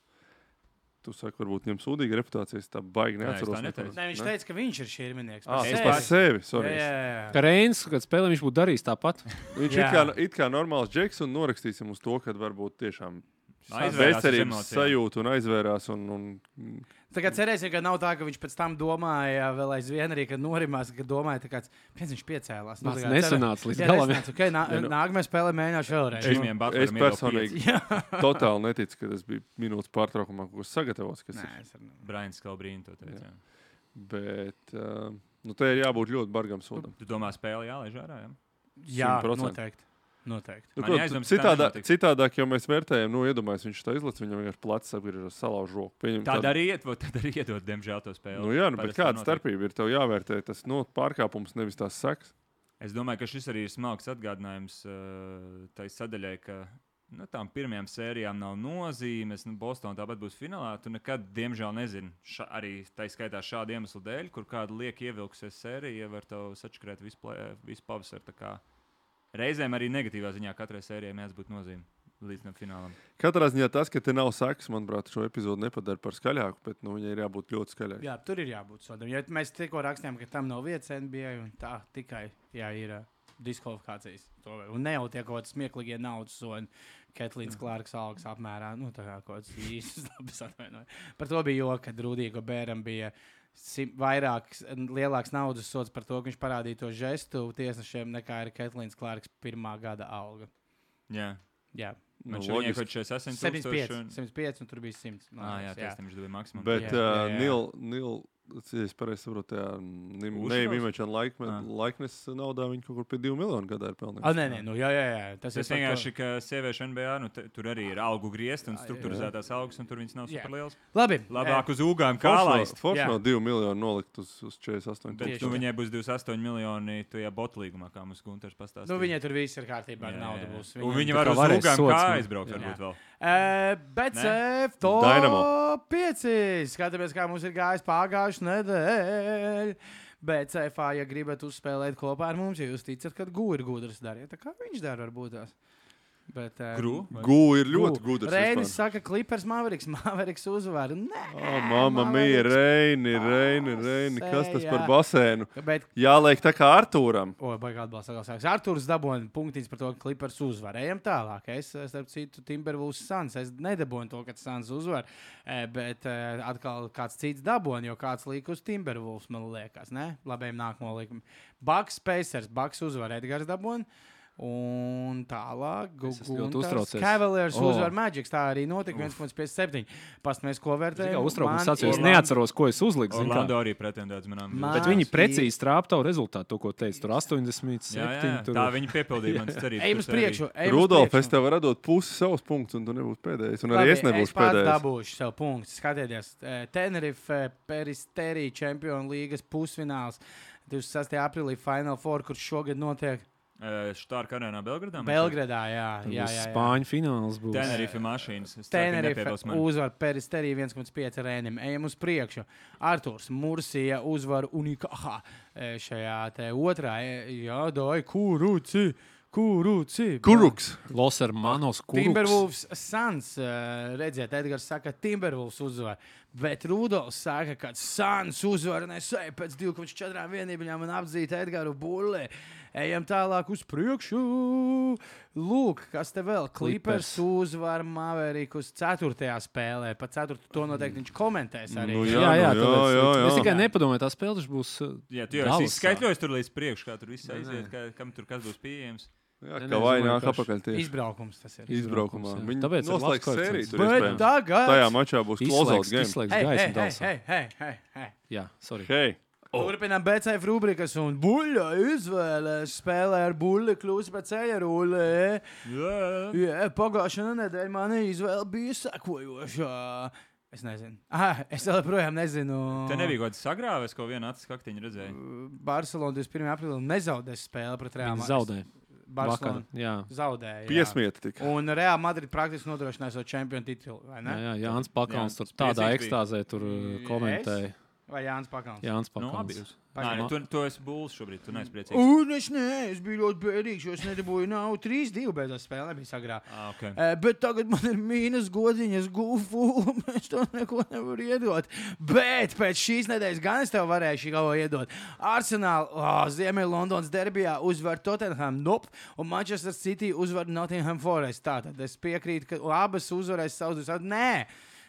Tu saki, varbūt viņam sūdīga reputācija, es tā baigi neatceros. Nē, ne, viņš teica, ka viņš ir šķirminieks. Ah, es par sevi, sorry. Jā, jā, jā. Ka Reins, kad spēlē, viņš būtu darījis tāpat. Viņš it kā, it kā normāls džeks un norakstīsim uz to, kad varbūt tiešām bezcerības sajūta un aizvērās. Un, un... Tagad cerēsim, ka nav tā, ka viņš pēc tam domāja vēl aizvien arī, kad norimās, ka domāja, ka kāds, piens viņš piecēlās. Nu, tas nesanāca līdz galam. Okay, nā, ja, nu... Nākamajā spēlē mēģināšu vēlreiz. Es, es personīgi totāli neticu, ka tas bija minūtes pārtraukumā, ko sagatavots. Kas Nē, ir. Brains Kalbrīni to teica. Bet uh, nu, te ir jābūt ļoti bargam sodam. Tu domā spēle jālaiž ārā, jā? Jā, noteikti. Noteikti. Nu, prot, citādā, citādāk, jau mēs vērtējam, nu, iedomājies, viņš tā izlaiž, viņam vienkārši plecs apgriežas, salauž roku. Pieņem, tāda tād... arī iedod, tad arī iedod, diemžēl, to spēli. Nu, jā, nu, bet kāda starpība ir? Tev jāvērtē tas nu, pārkāpums, nevis tās sekas. Es domāju, ka šis arī ir smalks atgādinājums uh, tai sadaļai, ka nu, tām pirmajām sērijām nav nozīmes. Nu, Bostonā tāpat būs finālā. Tu nekad, diemžēl, nezini, ša, arī tā skaitā šādu iemeslu dēļ, kur kāda liek ievilksies sērija, var tev sačakrēt visu, visu pavasaru. Reizēm arī negatīvā ziņā katrai sērijai mēdz būt nozīme līdz finālam. Katrā ziņā tas, ka te nav sekas, manuprāt, šo epizodu nepadara par skaļāku, bet nu, viņai ir jābūt ļoti skaļākai. Jā, tur ir jābūt sodam. Ja mēs tikko rakstījām, ka tam nav vietas N B A, un tā tikai jā, ir uh, diskvalifikācijas. To, un ne jau tie kaut kādi smieklīgie naudas sodi. Ketlīns Klārks algas apmērā. Nu, tā kā kaut kāds īstas labas atvainoja. Par to bija joka, kad Rudīgo Bēram bija vairāk, lielāks naudas sods par to, ka viņš parādīja to žestu tiesnešiem, nekā ir Ketlīns Klārks pirmā gada alga. Jā. Jā. Nu, viņai kaut šeit septiņdesmit pieci, septiņdesmit pieci un tur bija simts. Ah, jā, tas tam viņš dabīja maksimumu. Bet uh, Nil, Nil, es pareizi saprotu, tajā neimečana laiknes naudā viņi kaut kur pie divu miljonu gadā ir pelnījuši. Ah, nē, nē, nu jā, jā, jā. Tas, tas vienkārši, ka sieviešu N B A, nu te, tur arī ir algu griezti un strukturizētās algas, un tur viņas nav superlielas. Labi. Labāk uz ūgām kā laist. Forši no divu miljonu nolikt uz, uz četrdesmit astoņi. Bet nu, viņai būs divdesmit astoņi miljoni tajā botlīgumā, kā mums Gunters pastāstīja. Nu, viņai tur viss ir kārtībā ar naudu būs. Un viņi var uz ūgām kā aizbraukt varbūt vēl. Uh, bet Cef top pieci. Skatāmies, kā mums ir gājis pagājuši nedēļ. Bet Cefā, ja gribat uzspēlēt kopā ar mums, ja jūs ticat, ka Gu ir gudrs, dariet. Tā kā viņš dara varbūt tās. Bet, uh, Gru? Gu ir ļoti Gu. gudrs. Reinis saka, Clippers Maveriks. Maveriks uzvar. Nē, oh, mamma mia, Reini, Reini, Reini. Kas tas par basēnu? Bet... Jāliek tā kā Artūram. O, baigi atbalsta sāks. Artūrs dabūja punktiņas par to, ka Clippers uzvar. Ejam tālāk. Es, starp citu, Timberwolves Suns. Es nedabūju to, ka Suns uzvar. Bet atkal kāds cits dabūja, jo kāds liek uz Timberwolves, man liekas. Ne? Labējiem nākamo likumu. Bucks Pacers. Bucks uzvar. Edgars dabūja. Un tālāk, Guntas Cavaliers oh. uzvar Magic. Tā arī notika viens komats piecdesmit septiņi. Pastāmies, ko vērtēju. Es neatceros, ko es uzliku. Orlando arī pretendēts manām. Bet viņi precīzi trāptavu rezultātu, to, ko teica. Tur astoņdesmit septiņi. Jā, jā, tur... Tā viņi piepildīja manas cerības. Ejam uz priekšu. Rudolf, es tev varu dot pusi savus punktus, un tu nebūsi pēdējais. Un arī Labi, es nebūšu pēdējais. Es pats dabūšu savu punktu. Skatieties, Tenerife Peristeri Champions līgas pusfināls divdesmit sestajā aprīlī Final Four, kurš šogad notiek. Štārka arēnā Belgradā? Belgradā, jā. jā, jā, jā. Spāņu fināls būs. Tenerife mašīnas. Tenerife uzvar Peristeri viens komats pieci Rēnim. Ejam uz priekšu. Arturs Mursija uzvar Unikāhā šajā te otrā. Jā, doj, Kuruci. Kuruci. Kuruks. Los Hermanos Kuruks. Timberwolves Suns. Redziet, Edgars saka, Timberwolves uzvar. Bet Rudolfs saka, ka Suns uzvar. Nesēja pēc divi komats četri vienībļām un apdzīt Edgaru Bullē. Ejam tālāk uz priekšu. Lūk, kas te vēl? Clippers uzvar Maverikus ceturtajā spēlē. Pa ceturtu to noteikti viņš komentēs arī. Nu, jā, jā, jā, jā, jā, jā. Es tikai nepadomāju, tās spēles būs Jā, tu jau esi skaitļojis tur līdz priekšu, kā tur viss aiziet, kā, kam tur kas būs pieejams. Jā, kā vai nāk apakaļ tieši. Izbraukums tas ir. Izbraukumā. jā. Viņi Tāpēc ir labs noslēgs koeficients. sēriju tur Bet iespējams. tagad... Tajā mačā būs close-out game. Izslēgs Hei, hei, gaismu hei, dalsā. hei, hei, hei, hei. Jā, sorry. Hei, Turpinām B C F rubrikas un buļļa izvēlēs spēlē ar buļļu kļūst pēc ceļa rullē. Jā. Jā, pagājušā nedēļa mana izvēle bija sekojošā. Es nezinu. Ah, es vēl projām nezinu. Te nebija kaut kāds sagrāvēs, ko viena acis kaktiņa redzēja. Barcelona divdesmit pirmā aprīlī nezaudēs spēli pret Real Viņi Madrid. zaudēja. Vakar, Barcelona jā. zaudēja. jā. piesmieta tik. Un Real Madrid praktiski nodrošināja savu čempionu titulu, vai ne? Jā, jā, Jānis Pakauns Jā, tur tādā priecīgs ekstāzē tur uh, komentēja. Vai Jānis Pakauns? Jānis Nu, abi Pakauns. jūs. Nē, nu, tu, tu esi būls šobrīd, tu neesi priecīgs. Un es ne, es biju ļoti bēdīgs, jo es nedabūju nav trīs divi beidzot spēle, nebija sagrā. Ah, okay. Uh, bet tagad man ir mīnus godiņas, gufu, un es to neko nevaru iedot. Bet pēc šīs nedēļas gan es tev varēšu kaut ko iedot. Arsenal, oh, Ziemeļ Londonas derbijā uzvar Tottenham, nope, un Manchester City uzvar Nottingham Forest. Tātad es piekrītu, ka abas uzvarēs savus divus. Nē!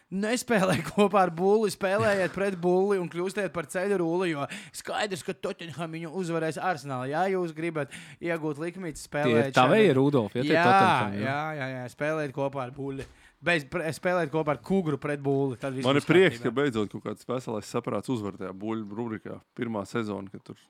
Nespēlējiet kopā ar bulli, spēlējiet pret bulli un kļūstiet par ceļu rulli, jo skaidrs, ka Tottenham viņu uzvarēs Arsenālā. Ja jūs gribat iegūt likmīti, spēlējiet. Tā vai ir Rudolf? Jā, jā, jā, jā, jā, spēlējiet kopā ar bulli. Beidz, pre, spēlējiet kopā ar kugru pret bulli. Man ir prieks, ka beidzot kaut kāds veselais saprāts uzvar tajā buļļu rubrikā. Pirmā sezona, kad tur...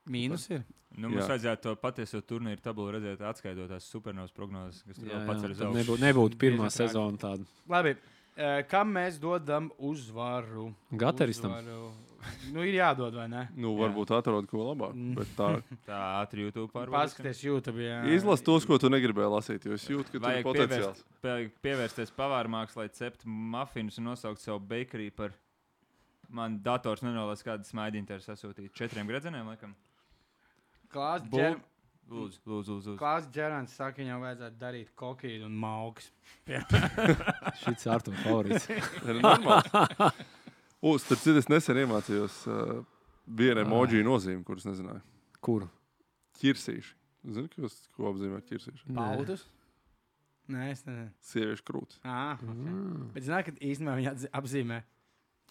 Mīnus ir. Nu, mums jā. Vajadzētu to patieso turnīru tabulu redzēt, atskaidot tās supernovas prognozes, kas tur Jā, vēl pats jā, ar tad zaudējumu. nebūtu, nebūtu pirmā Bieži sezona tāda. Labi, eh, kam mēs dodam uzvaru? Gateristam. Uzvaru. Nu, ir jādod, vai ne? Nu, varbūt atrod ko labāk, bet tā... Tā ātri YouTube pārbaudīsim. Paskaties YouTube, jā. Izlas tos, ko tu negribēji lasīt, jo es jūtu, ka tur ir Vajag potenciāls. pievērst, vajag pievērsties pavāru mākslai, cept mafinus un nosaukt savu bakery par... Man dators nenolās kādu smaidiņu te ir sasūtīt. Četriem gredzeniem, laikam. Klās Bul- Džer... Lūdzu, lūdzu, lūdzu. Klās Džerants saka, viņam vajadzētu darīt kokīdu un mauks. Šis ir Artur favorīts. Ir normāli. U, starp citu, es nesen iemācījos uh, vienu emoji nozīmi, kuras nezināju. Kuru? Ķirsīši. Zini, ko, ko apzīmē ķirsīši? Pautus? Nē, es nezinu. Sieviešu krūti. Ah, okay. Bet zināju, ka īstenībā viņi atzi- apzīmē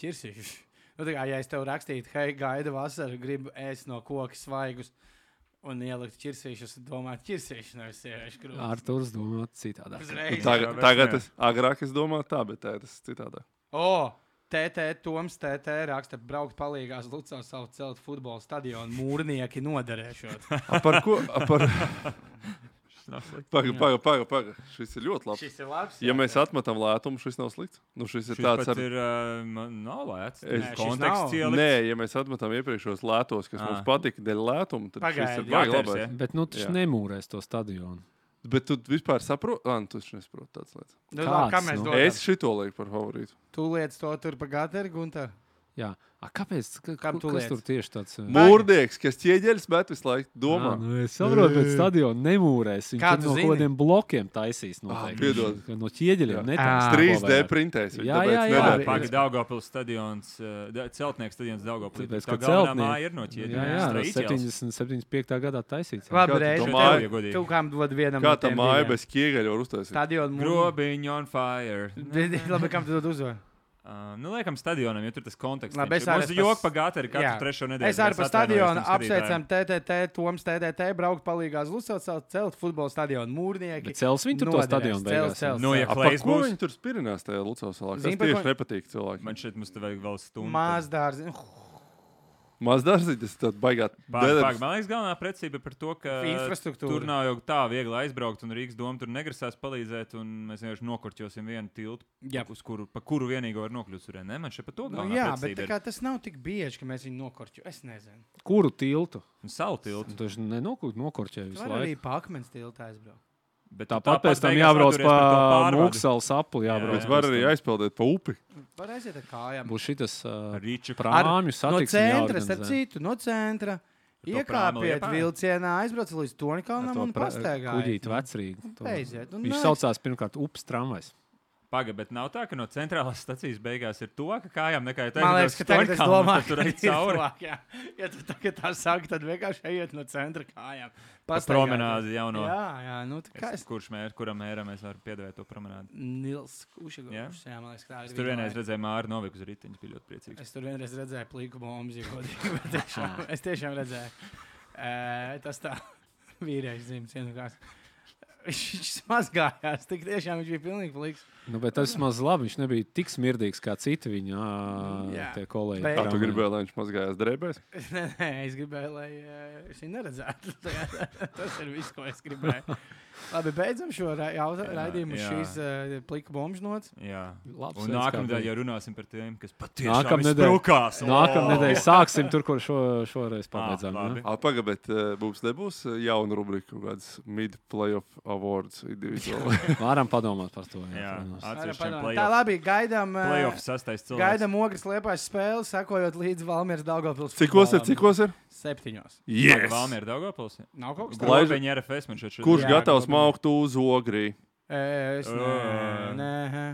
ķirsīšus. Nu, tā kā, ja es tev rakstītu, hei, gaida vasara, gribu ēst no koka svaigus un ielikt ķirsīšus, domāt ķirsīšus, nevis sieviešu krūtis. Arturs domā citādāk. Uzreiz. Tagad, bet tagad jā. es agrāk es domāju tā, bet tā tas citādāk. O, T T Toms T T raksta, braukt palīgās Lucā savu celt futbola stadionu, mūrnieki noderēšot. A par ko? A par... Paga, paga, paga, paga. Šis ir ļoti labs. Šis ir labs. Ja mēs atmetam lētumu, šis nav slikts. Nu, šis ir Šis tāds pat ar... ir, uh, man nav lēts. Es- Es... šis Konteksts nav. ielikts. Nē, ja mēs atmetam iepriekšos lētos, kas Ah. mums patika dēļ lētuma, tad Pagaidi, šis ir jā, baigi Gaters, labais. ja? Bet nu taču Jā. nemūrēs to stadionu. Bet tu vispār saproti? Ah, nu, tu taču nesaproti tādas lietas. Nu, Kāds, labi, kā mēs nu? dodam? Es šito lieku par favorītu. Tu liec to tur pa Gateri, Gunter? Jā. A, kāpēc? Ka, Kam tu kas liec? tur tieši tāds? uh, Mūrnieks, kas ķieģeļas bet visu laiku domā. Ā, nu, es saprotu, bet stadionu nemūrēs. Viņš Kā tur tu no zini? kaut kādiem blokiem taisīs. Ah, Noteikti. piedod. Viņš No ķieģeļiem Jā. netaisīs. trīs D ko vajag. printēs. Jā, jā, jā. Labi. Pagaidām, Daugavpils stadions, uh, celtnieks stadions Daugavpils. Tāpēc, Tā ka galvenā celtnieki- māja ir no ķieģeļiem. Jā, jā, no Straight Iels. septiņdesmit septiņdesmit piektā gadā taisīts. jā. Labi, Kā tu reizi. to tev- māju- Ja godīgi. Tu kam dod vienam Kā no tā tiem māja diviem? bez ķieģeļa var uztaisīt? Stadionu mūru. Grobiņš on fire. Labi, kam tu dod uzvaru? Uh, nu, liekam, stadionam, jo tur tas konteksts. Labi, es ir. arī Mums es ir pas- joki pa Gateri katru Jā. trešo nedēļu. Es arī Mēs par atvainojamies stadionu tiem skatītājiem. apsveicam T T T, Toms T T T, braukt palīgās Lucot savu celt futbola stadionu, mūrnieki. Bet cels viņi tur to noderēs, stadionu cels, beigās, jā? cels, Nu, ja cels. A, Klejs par ko būs? viņi tur spirinās tajā Lucavas salā? Tas Zini, par tieši ko- nepatīk cilvēkiem. Man šeit mums te vajag vēl stundu. Mazdārzi. Maz dārziņš, tas tāds baigāt. Pār, bedres. pār, man liekas, galvenā precība par to, ka Infrastruktūra. tur nav jau tā viegli aizbraukt, un Rīgas doma tur negrasās palīdzēt, un mēs vienkārši nokurķosim vienu tiltu, Jā. uz kuru, pa kuru vienīgo var nokļūt tur. Ne, man šeit par to Nu, galvenā jā, bet precība tā ir. kā tas nav tik bieži, ka mēs viņu nokorķu. Es nezinu. Kuru tiltu? Un savu tiltu. Tu taču nenokūt nokorķēji Tu visu vari arī laiku. pa akmens tiltu aizbraukt. Bet tu Tāpat pēc tam beigās jābrauc atturies par to pa pārvadu. Mūksalu sapu. Jā, Jābrauc. Bet var arī aizpeldēt pa upi. Var aiziet ar kājām. Būs šitas uh, Rīču prāmju No satiksmi centra, starp jāorganizē. citu, no centra. to Iekāpiet prāmu vilcienā, aizbrauc līdz Ar Tonkalnam to un pra- pastaigājiet. kuģīti vecrīgi. To- Aiziet. un Viņš nē, saucās pirmkārt ups tramvajs. Paga, bet nav tā, ka no centrālās stacijas beigās ir to, ka kājām nekā Man liekas, ka tagad es domāju, tur ka ir ir cauri. tuvāk, jā. Ja tu tagad tā saki, tad vienkārši ejiet no centra kājām. Pa Pastaigājiet. promenādi jauno. Jā, jā, nu tā kā Es, es... kurš mēr, kuram mēram mēs varam piedēvēt to promenādi? Nils Kušagovs. Jā? Jā, man liekas, tā Es ir tur viņa vienreiz māja. redzēju Māru Noviku uz riteņa, bija ļoti priecīgs. Es tur vienreiz redzēju pliku bombas, ja godīgi, bet tiešām, es tiešām redzēju. E, tas tā. vīrieši zīmes vienkārši. Viņš mazgājās, tik tiešām viņš bija pilnīgi pliks. Nu, bet tas maz labi, viņš nebija tik smirdīgs kā citi viņa tie kolēģi. Bet- Kā tu gribēji, lai viņš mazgājās drēbēs? Nē, nē, es gribēju, lai uh, es viņu neredzētu. Tas ir viss, ko es gribēju. Labi, beidzam šo ra jauta, raidījumu uz jā. šīs uh, plika bombžu nots. Jā. Labs Un veids, kā nākamnedēļ beigt. jau runāsim par tiem, kas patiešām Nākamnedēļ- izsprūkās. Nākamnedēļ sāksim tur, kur šo, šoreiz pabeidzām. Ah, labi. ja? Pagaid, bet uh, mums nebūs uh, jauna rubrika, kaut kāds mid-playoff awards individuāli. Varam padomāt par to. Jā, protams. atsevišķiem Tā playoff, labi, gaidām, uh, playoff sastais cilvēks. gaidām ogres liepājas spēli, sakojot līdz Valmieras Daugavpils. Cikos ir, futbolam. cikos ir? Septiņos. Yes! Valmiera Daugavpils. Nav kaut kas Lai- tāds. Globeņa R F S man šeit šodien. Kurš Jā, gatavs godīgi. maukt uz ogrī? Es nē, Ā. nē,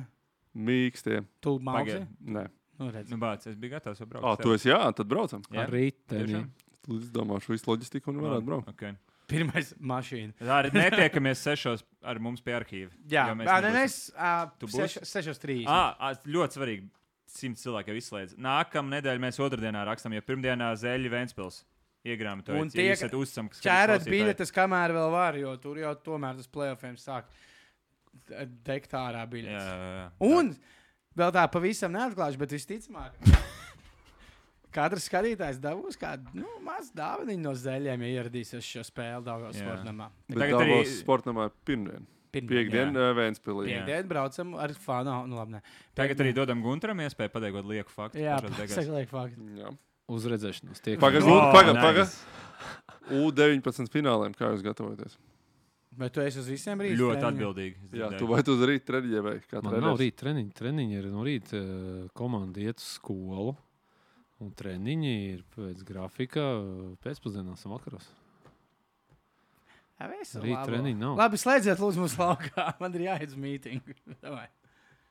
Mīkstie. tu mauksi? Pagaid. Nē. Nu, redz. Nu, bāc, es biju gatavs jau braukt. Ah, tu esi jā, tad braucam. Jā? Ar riteni. Tiešām? Es domāšu, visu loģistiku un varētu braukt. Okay. Pirmais mašīna. Arī netiekamies sešos ar mums pie arhīva. Jā, jo mēs jā nē, nebūsim. es uh, Tu būsi? seš, sešos trīs. Ah, ļoti svarīgi. Simt cilvēki jau izslēdz. Nākamā nedēļa mēs otrdienā rakstām, jo pirmdienā Zēļa Ventspils iegrāmatojot. Un tie, esat uzsams, kas Čērat klausītāji. biļetes, kamēr vēl var, jo tur jau tomēr tas playoffiem sāk degt ārā Jā, biļetes. jā, jā. Un vēl tā pavisam neatklāšu, bet visticamāk, katrs skatītājs dabūs kādu nu, mazu dāvaniņu no Zeļiem, ja ieradīsies šo spēli Daugavas Jā. sportnamā. Bet Tagad Davos arī- sportamā pirmdien. Pirmdien. Piekdien uh, Vēnspilī. Jā. Piekdien braucam ar fanu. Nu, labi, ne. Tagad arī dodam Gunteram iespēju pateikt lieku faktu. Jā, pašās beigās. pasaka liek faktu. Jā. Uz redzēšanos. Tiek Pagaid, Oh, lūdzu, pagaid, nice. pagaid. U deviņpadsmit fināliem, kā jūs gatavojaties? Bet tu esi uz visiem rītiem? Ļoti atbildīgi. es Jā, dzirdēju. tu vai tu uz rīta treniņē vai kā Man nav rīt treniņi. Treniņi ir no rīta eh, komanda iet uz skolu. Un treniņi ir pēc grafika eh, pēcpusdienās un vakaros. Jā, visu Rīt labo. treniņi nav. Labi, slēdziet lūdzu mūsu laukā. Man ir jāiet uz mītingu. Davai.